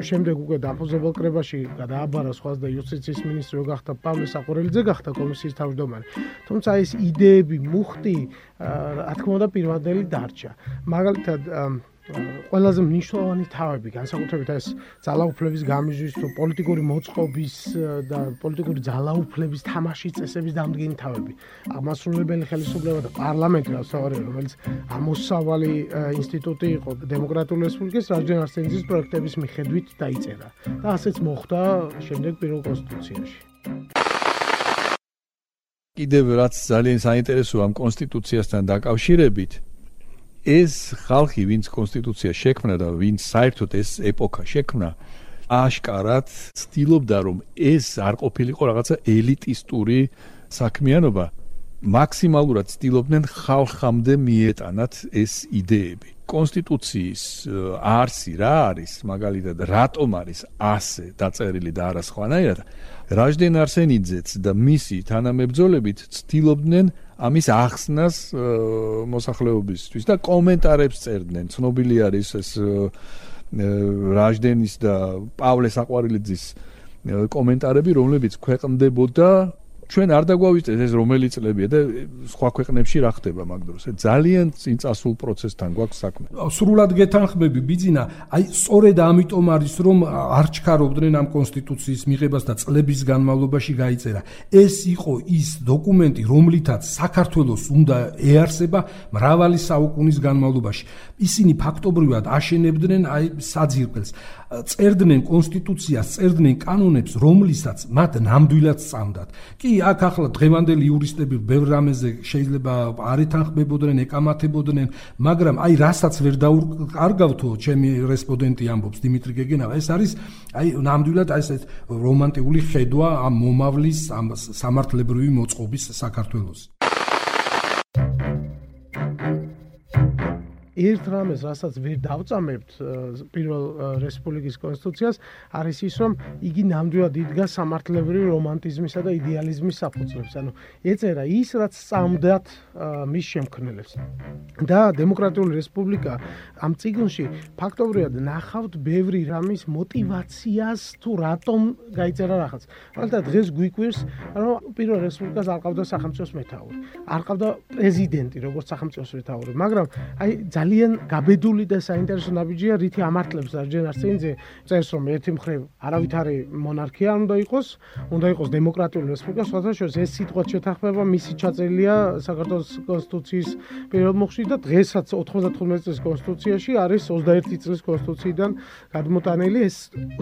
Speaker 6: შემდეგ უკვე დამხობებელ კრებაში გადააბარა სხვას და იუსტიციის მინისტრი გახდა პავლე საყურელიძე გახდა კომისიის თავმჯდომარე. თუმცა ეს იდეები, მუხტი, რა თქმა უნდა, პირვანდელი დარჩა. მაგალითად ყველაზე მნიშვნელოვანი თავები, განსაკუთრებით ეს ძალაუფლების გამიზვის თუ პოლიტიკური მოწყობის და პოლიტიკური ძალაუფლების თამაშის წესების დამდგენი თავები. აღმასრულებელი ხელისუფლება და პარლამენტი, რომელიც ამოსავალი ინსტიტუტი იყო დემოკრატიული რესპუბლიკის, რაჟდენ არსენიძის პროექტების მიხედვით დაიწერა. და ასეც მოხდა შემდეგ პირველ კონსტიტუციაში.
Speaker 1: კიდევ რაც ძალიან საინტერესოა ამ კონსტიტუციასთან დაკავშირებით, ეს ხალხი, ვინც კონსტიტუცია შექმნა და ვინც საერთოდ ეს ეპოქა შექმნა, აშკარად ცდილობდა, რომ ეს არ ყოფილიყო რაღაცა ელიტისტური საქმიანობა, მაქსიმალურად ცდილობდნენ ხალხამდე მიეტანათ ეს იდეები. კონსტიტუციის არსი რა არის, მაგალითად, რატომ არის ასე დაწერილი და არა სხვანაირად, რაჟდენ არსენიძეც და მისი თანამებრძოლებით ცდილობდნენ ამის ახსნას მოსახლეობისთვის და კომენტარებს წერდნენ. ცნობილი არის ეს რაჟდენის და პავლე საყვარელიძის კომენტარები, რომლებიც ქვეყნდებოდა ჩვენ არ დაგვავიწყეთ ეს რომელი წლებია და სხვა ქვეყნებში რა ხდება მაგ დროს. ძალიან წინწასულ პროცესთან გვაქვს საქმე.
Speaker 2: სრულად გეთანხმები ბიძინა, აი სწორედ ამიტომ არის რომ არ ჩქარობდნენ ამ კონსტიტუციის მიღებას და წლების განმავლობაში გაიწერა. ეს იყო ის დოკუმენტი, რომლითაც საქართველოს უნდა ეარსება მრავალი საუკუნის განმავლობაში. ისინი ფაქტობრივად აშენებდნენ აი საძირკველს. წერდნენ კონსტიტუციას, წერდნენ კანონებს, რომლისაც მათ ნამდვილად სწამდათ. კი, აქ ახლა დღევანდელი იურისტები ბევრ რამეზე შეიძლება არ ეთანხმებოდნენ, ეკამათებოდნენ, მაგრამ აი რასაც ვერ დაუკარგავთო, ჩემი რესპონდენტი ამბობს დიმიტრი გეგენავა, ეს არის აი ნამდვილად აი ეს რომანტიკული ხედვა ამ მომავლის, ამ სამართლებრივი მოწყობის საქართველოს.
Speaker 6: ერთ რამეს, რასაც ვერ დავწამებთ პირველ რესპუბლიკის კონსტიტუციას, არის ის, რომ იგი ნამდვილად იდგა სამართლებრივი რომანტიზმისა და იდეალიზმის საფუძვლებს. ანუ ეწერა ის, რაც სწამდათ მის შემქმნელებს. და დემოკრატიული რესპუბლიკა ამ წიგნში ფაქტობრივად ნახავთ ბევრი რამის мотиваციას თუ რატომ გაიწერა რაღაც. მაგალითად დღეს გვიკვირს, რომ პირველ რესპუბლიკას არ ყავდა სახელმწიფოს მეთაური, არ ყავდა პრეზიდენტი როგორც სახელმწიფოს მეთაური, მაგრამ აი ძალიან გაბედული და საინტერესო ნაბიჯია, რითი ამართლებს რაჟდენ არსენიძე წერს, რომ ერთი მხრივ არავითარი მონარქია უნდა იყოს, უნდა იყოს დემოკრატიული რესპუბლიკა, სხვათა შორის ეს სიტყვა შეთანხმება მისი ჩაწერილია საქართველოს კონსტიტუციის პირველ მოხში და დღესაც ოთხმოცდათხუთმეტი წლის კონსტიტუციაში არის ოცდაერთი წლის კონსტიტუციიდან გადმოტანილი ეს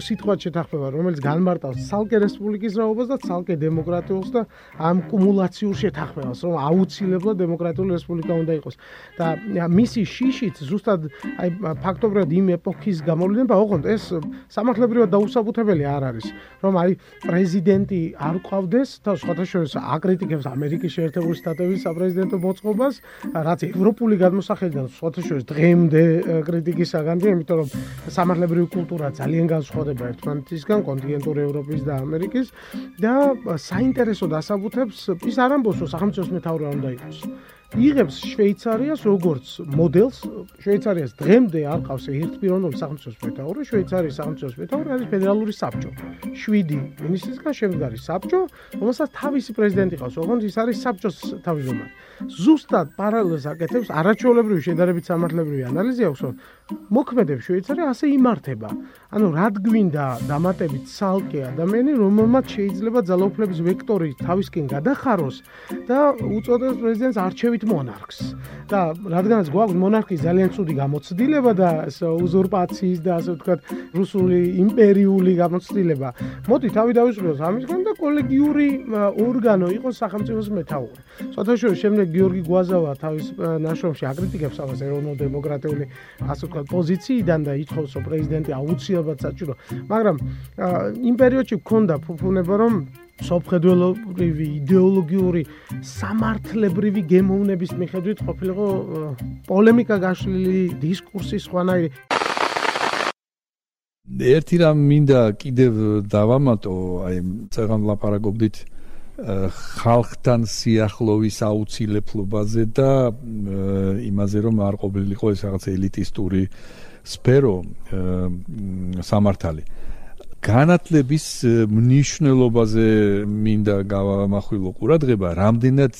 Speaker 6: სიტყვა შეთანხმება, რომელიც განმარტავს ცალკე რესპუბლიკის რაობას და ცალკე დემოკრატიულს და ამ კუმულაციურ შეთანხმებას, რომ აუცილებლად დემოკრატიული რესპუბლიკა უნდა იყოს. და მისი შიში ნიშით ზუსტად აი ფაქტობრივად იმ ეპოქის გამოვლინება, ოღონდ ეს სამართლებრივად დაუსაბუთებელი არ არის, რომ აი პრეზიდენტი არ ყავდეს და სხვათა შორის აკრიტიკებს ამერიკის შეერთებული შტატების საპრეზიდენტო მოწყობას, რაც ევროპული გადმოსახედიდან სხვათა შორის დღემდე კრიტიკის საგანია, იმიტომ რომ სამართლებრივი კულტურა ძალიან განსხვავდება ერთმანეთისგან, კონტინენტური ევროპის და ამერიკის და საინტერესო დასაბუთებს ის არ ამბობს, რომ სახელმწიფოს მეთაური არ უნდა იყოს. იღებს შვეიცარიას როგორც მოდელს. შვეიცარიას დღემდე არ ყავს ერთპიროვნული სახელმწიფოს მეთაური. შვეიცარიის სახელმწიფოს მეთაური არის ფედერალური საბჭო. შვიდი მინისტრისგან შემდგარი საბჭო, რომელსაც თავისი პრეზიდენტი ყავს. ოღონდ ის არის საბჭოს თავმჯდომარე. ზუსტად პარალელს აკეთებს არაჩვეულებრივი შედარებით სამართლებრივი ანალიზი აქვს, რომ მოქმედებს შვეიცარია ასე იმართება. ანუ რად გვინდა დამატებით ცალკე ადამიანი, რომელმაც შეიძლება ძალაუფლების ვექტორი თავისკენ გადახაროს და უწოდებს პრეზიდენტს არჩევით მონარქს. და რადგანაც გვაქვს მონარქის ძალიან ცუდი გამოცდილება და უზურპაციის და ასე ვთქვათ რუსული იმპერიული გამოცდილება, მოდი თავი დავისრულოთ ამისგან და კოლეგიური ორგანო იყოს სახელმწიფოს მეთაური. საერთაშორისო შემდეგ გიორგი გვაზავა თავის ნაშრომში აკრიტიკებს ამას ეროვნულ-დემოკრატიული ასე ვთქვათ პოზიციიდან და ითხოვს, რომ პრეზიდენტი აუცილებლად საჭირო. მაგრამ იმ პერიოდში მქონდა ფუფუნება, რომ სოფხედველობრივი იდეოლოგიური სამართლებრივი გემოვნების მიხედვით ყოფილიყო პოლემიკა გაშლილი დისკურსი სხვანაირი.
Speaker 1: ერთი რამ მინდა კიდევ დავამატო, აი წეგან ლაპარაკობდით ხალხთან სიახლოვის აუცილებლობაზე და იმაზე, რომ არ ყოფილიყო ეს რაღაც ელიტისტური სფერო სამართალი. განათლების მნიშვნელობაზე მინდა გავამახვილო ყურადღება, რამდენად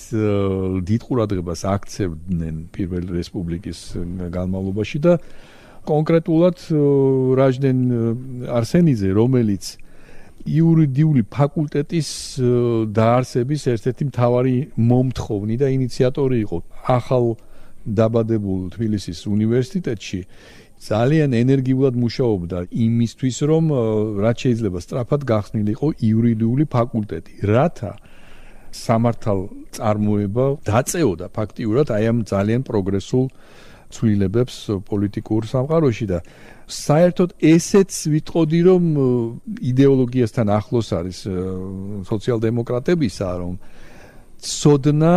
Speaker 1: დიდ ყურადღებას აქცევდნენ პირველი რესპუბლიკის განმავლობაში და კონკრეტულად რაჟდენ არსენიძე, რომელიც იურიდიული ფაკულტეტის დაარსების ერთ-ერთი მთავარი მომთხოვნი და ინიციატორი იყო ახალ დაბადებულ თბილისის უნივერსიტეტში. ძალიან ენერგიულად მუშაობდა იმისთვის, რომ რაც შეიძლება სწრაფად გახსნილიყო იურიდიული ფაკულტეტი, რათა სამართალ წარმოება დაწეოდა ფაქტიურად აი ამ ძალიან პროგრესულ ცვლილებებს პოლიტიკურ სამყაროში და საერთოდ ესეც ვიტყოდი, რომ იდეოლოგიასთან ახლოს არის სოციალ-დემოკრატებისა, რომ ცოდნა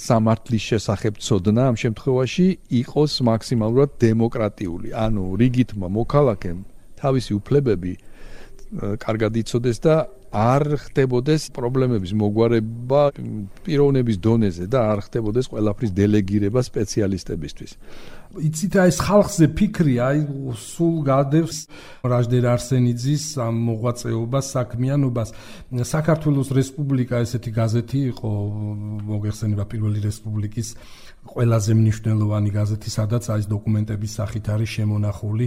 Speaker 1: სამართლის შესახებ ცოდნა ამ შემთხვევაში იყოს მაქსიმალურად დემოკრატიული. ანუ რიგითმა მოქალაქემ თავისი უფლებები კარგად იცოდეს და არ ხდებოდეს პრობლემების მოგვარება პიროვნების დონეზე და არ ხდებოდეს ყველაფრის დელეგირება სპეციალისტებისთვის.
Speaker 2: იცით, აი ეს ხალხზე ფიქრი, აი სულ გადევს რაჟდენ არსენიძის ამ მოღვაწეობას, საქმიანობას. საქართველოს რესპუბლიკა ესეთი გაზეთი იყო, მოგეხსენება პირველი რესპუბლიკის ყველაზე მნიშვნელოვანი გაზეთი, სადაც აი ეს დოკუმენტების სახით არის შემონახული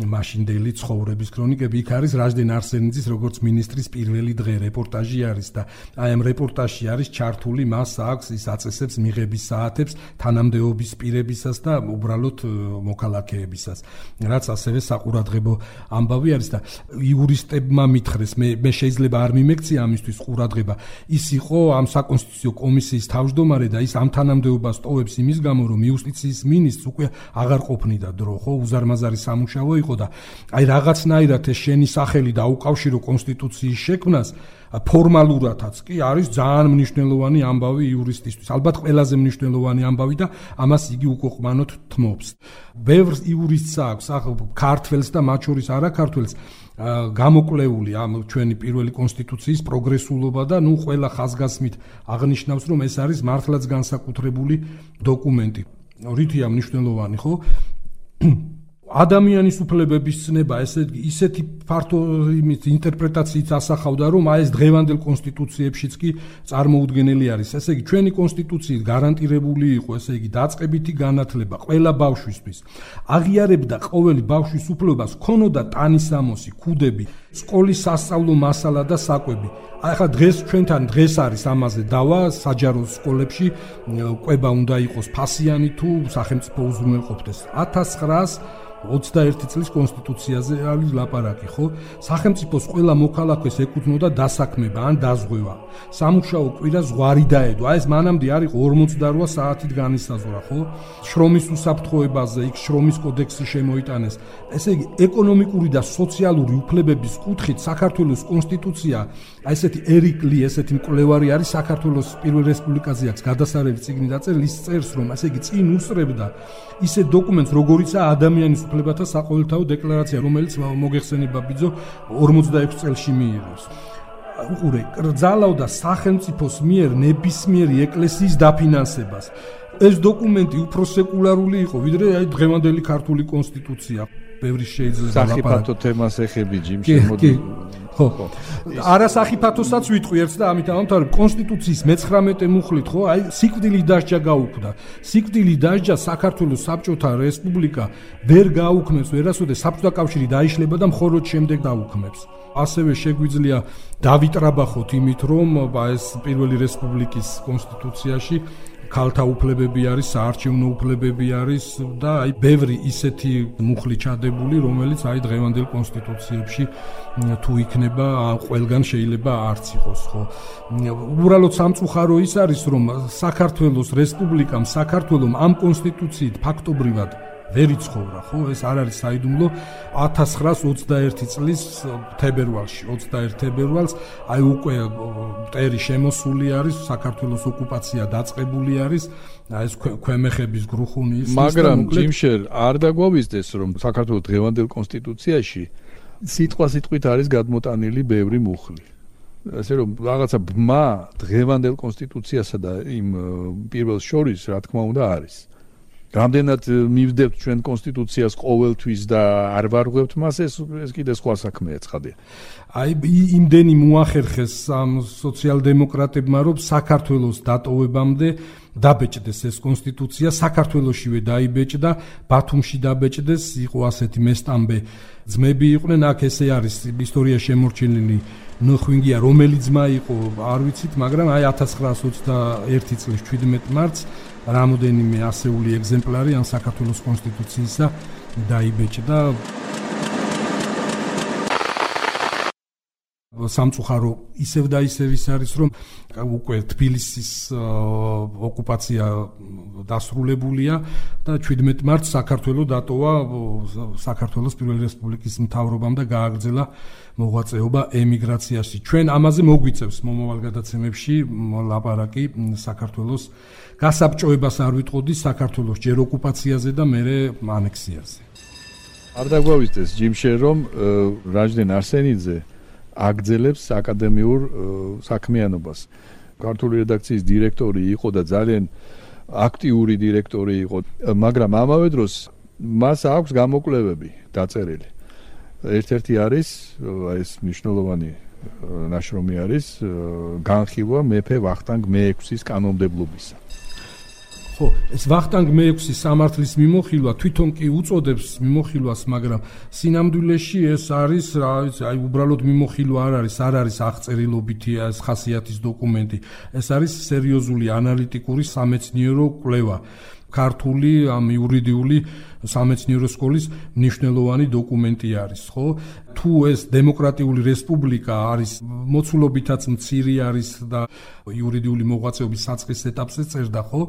Speaker 2: მაშინდელი ცხოვრების ქრონიკები. იქ არის რაჟდენ არსენიძის როგორც მინისტრის პირველი დღე რეპორტაჟი არის და აი ამ რეპორტაჟში არის ჩართული მას აქვს ის აწესებს მიღების საათებს თანამდებობის პირებისას და უბრალოდ მოქალაქეებისას, რაც ასევე საყურადღებო ამბავი არის და იურისტებმა მითხრეს, მე მე შეიძლება არ მიმექცია ამისთვის ყურადღება, ის იყო ამ საკონსტიტუციო კომისიის თავმჯდომარე და ის ამ თანამდებობას ტოვებს იმის გამო, რომ იუსტიციის მინისტრს უკვე აღარ ყოფნიდა დრო, ხო, უზარმაზარი სამუშაო იყო და აი რაღაცნაირად ეს შენი სახელი დაუკავშირო კონსტიტუციის შექმნას, ფორმალურადაც კი არის ძალიან მნიშვნელოვანი ამბავი იურისტისთვის. ალბათ ყველაზე მნიშვნელოვანი ამბავი და ამას იგი უკუყმანოდ თმობს. ბევრ იურისტს აქვს, ქართველს და მათ შორის არაქართველს გამოკვლეული ამ ჩვენი პირველი კონსტიტუციის პროგრესულობა და ნუ ყველა ხაზგასმით აღნიშნავს, რომ ეს არის მართლაც განსაკუთრებული დოკუმენტი. რითია მნიშვნელოვანი, ხო? ადამიანის უფლებების ცნება ესე ისეთი ფართო იმით ინტერპრეტაციით ასახავდა, რომ აი ეს დღევანდელ კონსტიტუციებშიც კი წარმოუდგენელი არის. ესე იგი, ჩვენი კონსტიტუციით გარანტირებული იყო, ესე იგი, დაწყებითი განათლება ყველა ბავშვისთვის. აღიარებდა ყოველი ბავშვის უფლებას, ქონოდა ტანისამოსი, ქუდები, სკოლის სასწავლო მასალა და საკვები. ახლა დღეს ჩვენთან დღეს არის ამაზე დავა საჯარო სკოლებში კვება უნდა იყოს ფასიანი თუ სახელმწიფო უზრუნველყოფდეს. ათას ცხრაას ოცდაერთი წლის კონსტიტუციაზე არის ლაპარაკი, ხო? ხო? სახელმწიფოს ყველა მოქალაქეს ეკუთვნოდა დასაქმება ან დაზღვევა. სამუშაო კვირა ზღვარი დაედო. აი ეს მანამდე არ იყო ორმოცდარვა საათით განისაზღვრა, ხო? შრომის უსაფრთხოებაზე იქ შრომის კოდექსი შემოიტანეს. ესე იგი, ეკონომიკური და სოციალური უფლებების კუთხით საქართველოს კონსტიტუცია, აი ესეთი ერიკ ლი, ესეთი მკვლევარი არის საქართველოს პირველ რესპუბლიკაზე აქვს გადასარევი წიგნი დაწერილი, ის წერს, რომ ესე იგი წინ უსწრებდა ისეთ დოკუმენტს, როგორიცაა ადამიანის უფლებათა საყოველთაო დეკლარაცია, რომელიც მოგეხსენება ბიძო ორმოცდაექვსი წელში მიიღოს. უყურე, კრძალავდა სახელმწიფოს მიერ ნებისმიერი ეკლესიის დაფინანსებას. ეს დოკუმენტი უფრო სეკულარული იყო, ვიდრე აი დღევანდელი ქართული კონსტიტუცია. ბევრი შეიძლება
Speaker 1: საფათო თემას ეხები ჯიმ შემოდი.
Speaker 2: ხო. არასახიფათოსაც ვიტყვი ერთს და ამით ამთავრებ კონსტიტუციის მეცხრამეტე მუხლით, ხო? აი სიკვდილის დასჯა გაუქმდა. სიკვდილის დასჯა საქართველოს საბჭოთა რესპუბლიკა ვერ გაუქმებს, ვერასოდეს საბჭოთა კავშირი დაიშლება და მხოლოდ შემდეგ დაუქმებს. ასევე შეგვიძლია დავიტრაბახოთ იმით, რომ ეს პირველი რესპუბლიკის კონსტიტუციაში ქალთა უფლებები არის, საარჩევნო უფლებები არის და აი ბევრი ისეთი მუხლი ჩადებული, რომელიც აი დღევანდელ კონსტიტუციებში თუ იქნება, ყველგან შეიძლება არც იყოს, ხო? უბრალოდ სამწუხარო ის არის, რომ საქართველოს რესპუბლიკამ, საქართველოს ამ კონსტიტუციით ფაქტობრივად ვერ იცხოვრა, ხო? ეს არ არის საიდუმლო. ათას ცხრაას ოცდაერთი წლის თებერვალში, ოცდაერთი თებერვალს, აი უკვე მტერი შემოსული არის, საქართველოს ოკუპაცია დაწყებული არის, აი ეს ქვემეხების გრუხუნი ის.
Speaker 1: მაგრამ ჯიმშერ არ დაგვავიზდეს, რომ საქართველოს დღევანდელ კონსტიტუციაში სიტყვა სიტყვით არის გადმოტანილი ბევრი მუხლი. ასე რომ რაღაცა ბმა დღევანდელ კონსტიტუციასა და იმ პირველ შორის, რა თქმა უნდა, არის. რამდენად მივდევთ ჩვენ კონსტიტუციას ყოველთვის და არ ვარღვევთ მას, ეს ეს კიდე სხვა საქმეა, ცხადია.
Speaker 2: აი იმდენი მოახერხეს ამ სოციალ-დემოკრატებმა, რომ საქართველოს დატოვებამდე დაბეჭდეს ეს კონსტიტუცია, საქართველოსშივე დაიბეჭდა, ბათუმში დაბეჭდეს, იყო ასეთი მესტამბე ძმები იყვნენ, აქ ესე არის ისტორია შემორჩენილი ნხვინგია, რომელი ძმა იყო, არ ვიცით, მაგრამ აი ათას ცხრაას ოცდაერთი წლის შვიდმეტი მარტს რამოდენიმე ასეული ეგზემპლარი ამ საქართველოს კონსტიტუციისა დაიბეჭდა. სამწუხარო ისევ და ისევ ის არის, რომ უკვე თბილისის ოკუპაცია დასრულებულია და შვიდმეტი მარტს საქართველოს დატოვა საქართველოს პირველი რესპუბლიკის მთავრობამ და გააგრძელა მოღვაწეობა ემიგრაციაში. ჩვენ ამაზე მოგვიწევს მომავალ გადაცემებში ლაპარაკი საქართველოს გასაბჭოებას არ ვიტყოდი, საქართველოს ჯერ ოკუპაციაზე და მერე ანექსიაზე.
Speaker 1: არ დაგვავიზდეს ჯიმშერ, რომ რაჟდენ არსენიძე აგრძელებს აკადემიურ საქმიანობას. ქართული რედაქციის დირექტორი იყო და ძალიან აქტიური დირექტორი იყო, მაგრამ ამავე დროს მას აქვს გამოკვლევები დაწერილი. ერთ-ერთი არის ეს მნიშვნელოვანი ნაშრომი არის განხილვა მეფე ვახტანგ მეექვსის კანონმდებლობისა.
Speaker 2: ხო, ეს ვახტანგ მეექვსის სამართლის მიმოხილვა თვითონ კი უწოდებს მიმოხილვას, მაგრამ სინამდვილეში ეს არის, რა ვიცი, აი უბრალოდ მიმოხილვა არ არის, არ არის აღწერილობითი ეს ხასიათის დოკუმენტი. ეს არის სერიოზული ანალიტიკური სამეცნიერო კვლევა. ქართული ამ იურიდიული სამეცნიერო სკოლის მნიშვნელოვანი დოკუმენტი არის, ხო? თუ ეს დემოკრატიული რესპუბლიკა არის მოცულობითაც მცირე არის და იურიდიული მოღვაწეობის საწყის ეტაპზე წერდა, ხო?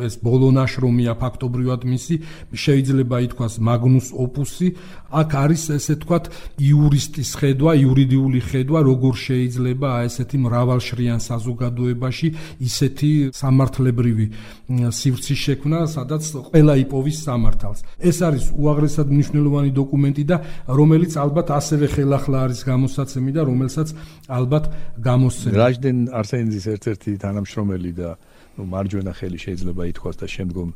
Speaker 2: ეს ბოლო ნაშრომია ფაქტობრივად მისი, შეიძლება ითქვას მაგნუს ოპუსი, აქ არის ესე თქვათ იურისტის ხედვა, იურიდიული ხედვა, როგორ შეიძლება ესეთი მრავალშრიან საზოგადოებაში ისეთი სამართლებრივი სივრცის შექმნა, სადაც ყველა იპოვის სამართალს. ეს არის უაღრესად მნიშვნელოვანი დოკუმენტი და რომელიც ალბათ ასევე ხელახლა არის გამოსაცემი და რომელსაც ალბათ გამოსცემს.
Speaker 1: რაჟდენ არსენიძის ერთ-ერთი თანამშრომელი და ნუ მარჯვენა ხელი შეიძლება ითქვას და შემდგომ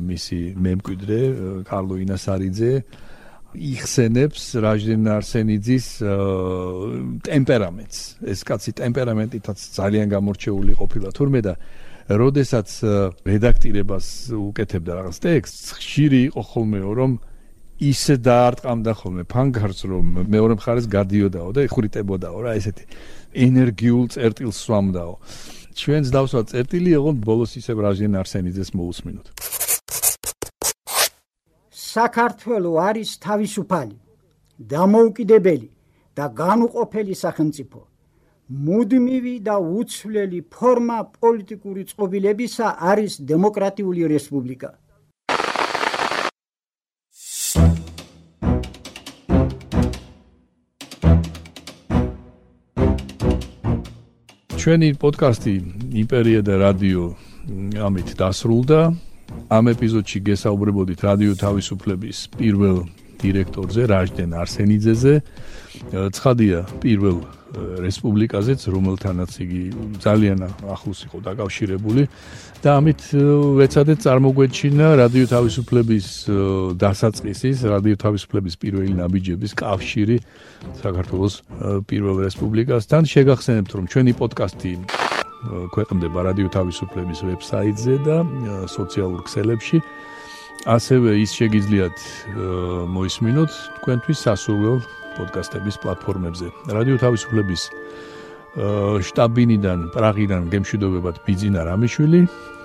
Speaker 1: მისი მემკვიდრე კარლო ინასარიძე იხსენებს რაჟდენ არსენიძის ტემპერამენტს. ეს კაცი ტემპერამენტითაც ძალიან გამორჩეული ყოფილა თურმე და როდესაც რედაქტირებას უკეთებდა რაღაც ტექსტს, ხშირი იყო ხოლმე, რომ ისე დაარტყამდა ხოლმე ფანგარს, რომ მეორე მხარეს გადიოდაო და ხრიტებოდაო რა, ესეთი ენერგიულ წერტილს სვამდაო. ჩვენს დავსვა წერტილი იყო, ბოლოს ისევ რაჟდენ არსენიძეს მოусმინოთ.
Speaker 4: საქართველო არის თავისუფალი. დამოუკიდებელი და განუყოფელი სახელმწიფო, მუდმივი და უცვლელი ფორმა პოლიტიკური წყობილებისა არის დემოკრატიული რესპუბლიკა.
Speaker 1: ჩვენი პოდკასტი იმპერია და რადიო ამით დასრულდა. ამ ეპიზოდში გესაუბრებოდით რადიო თავისუფლების პირველ დირექტორზე რაჟდენ არსენიძეზე. ცხადია პირველ რესპუბლიკაზეც, რომელთანაც იგი ძალიან ახლოს იყო დაკავშირებული და ამით ვეცადეთ წარმოგვეჩინა რადიო თავისუფლების დასაწყისის, რადიო თავისუფლების პირველი ნაბიჯების კავშირი საქართველოს პირველ რესპუბლიკასთან. შეგახსენებთ, რომ ჩვენი პოდკასტი ქვეყნდება რადიო თავისუფლების ვებსაიტზე და სოციალურ ქსელებში. ასევე ის შეგიძლიათ მოისმინოთ თქვენთვის სასურველ პოდკასტების პლატფორმებზე. რადიო თავისუფლების შტაბინიდან, პრაღიდან გემშვიდობებათ ბიძინა რამიშვილი,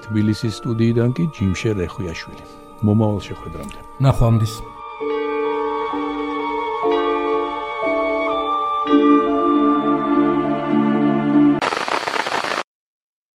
Speaker 1: თბილისის სტუდიიდან კი ჯიმშე რეხვიაშვილი. მომავალ შეხვედრამდე.
Speaker 2: ნახვამდის.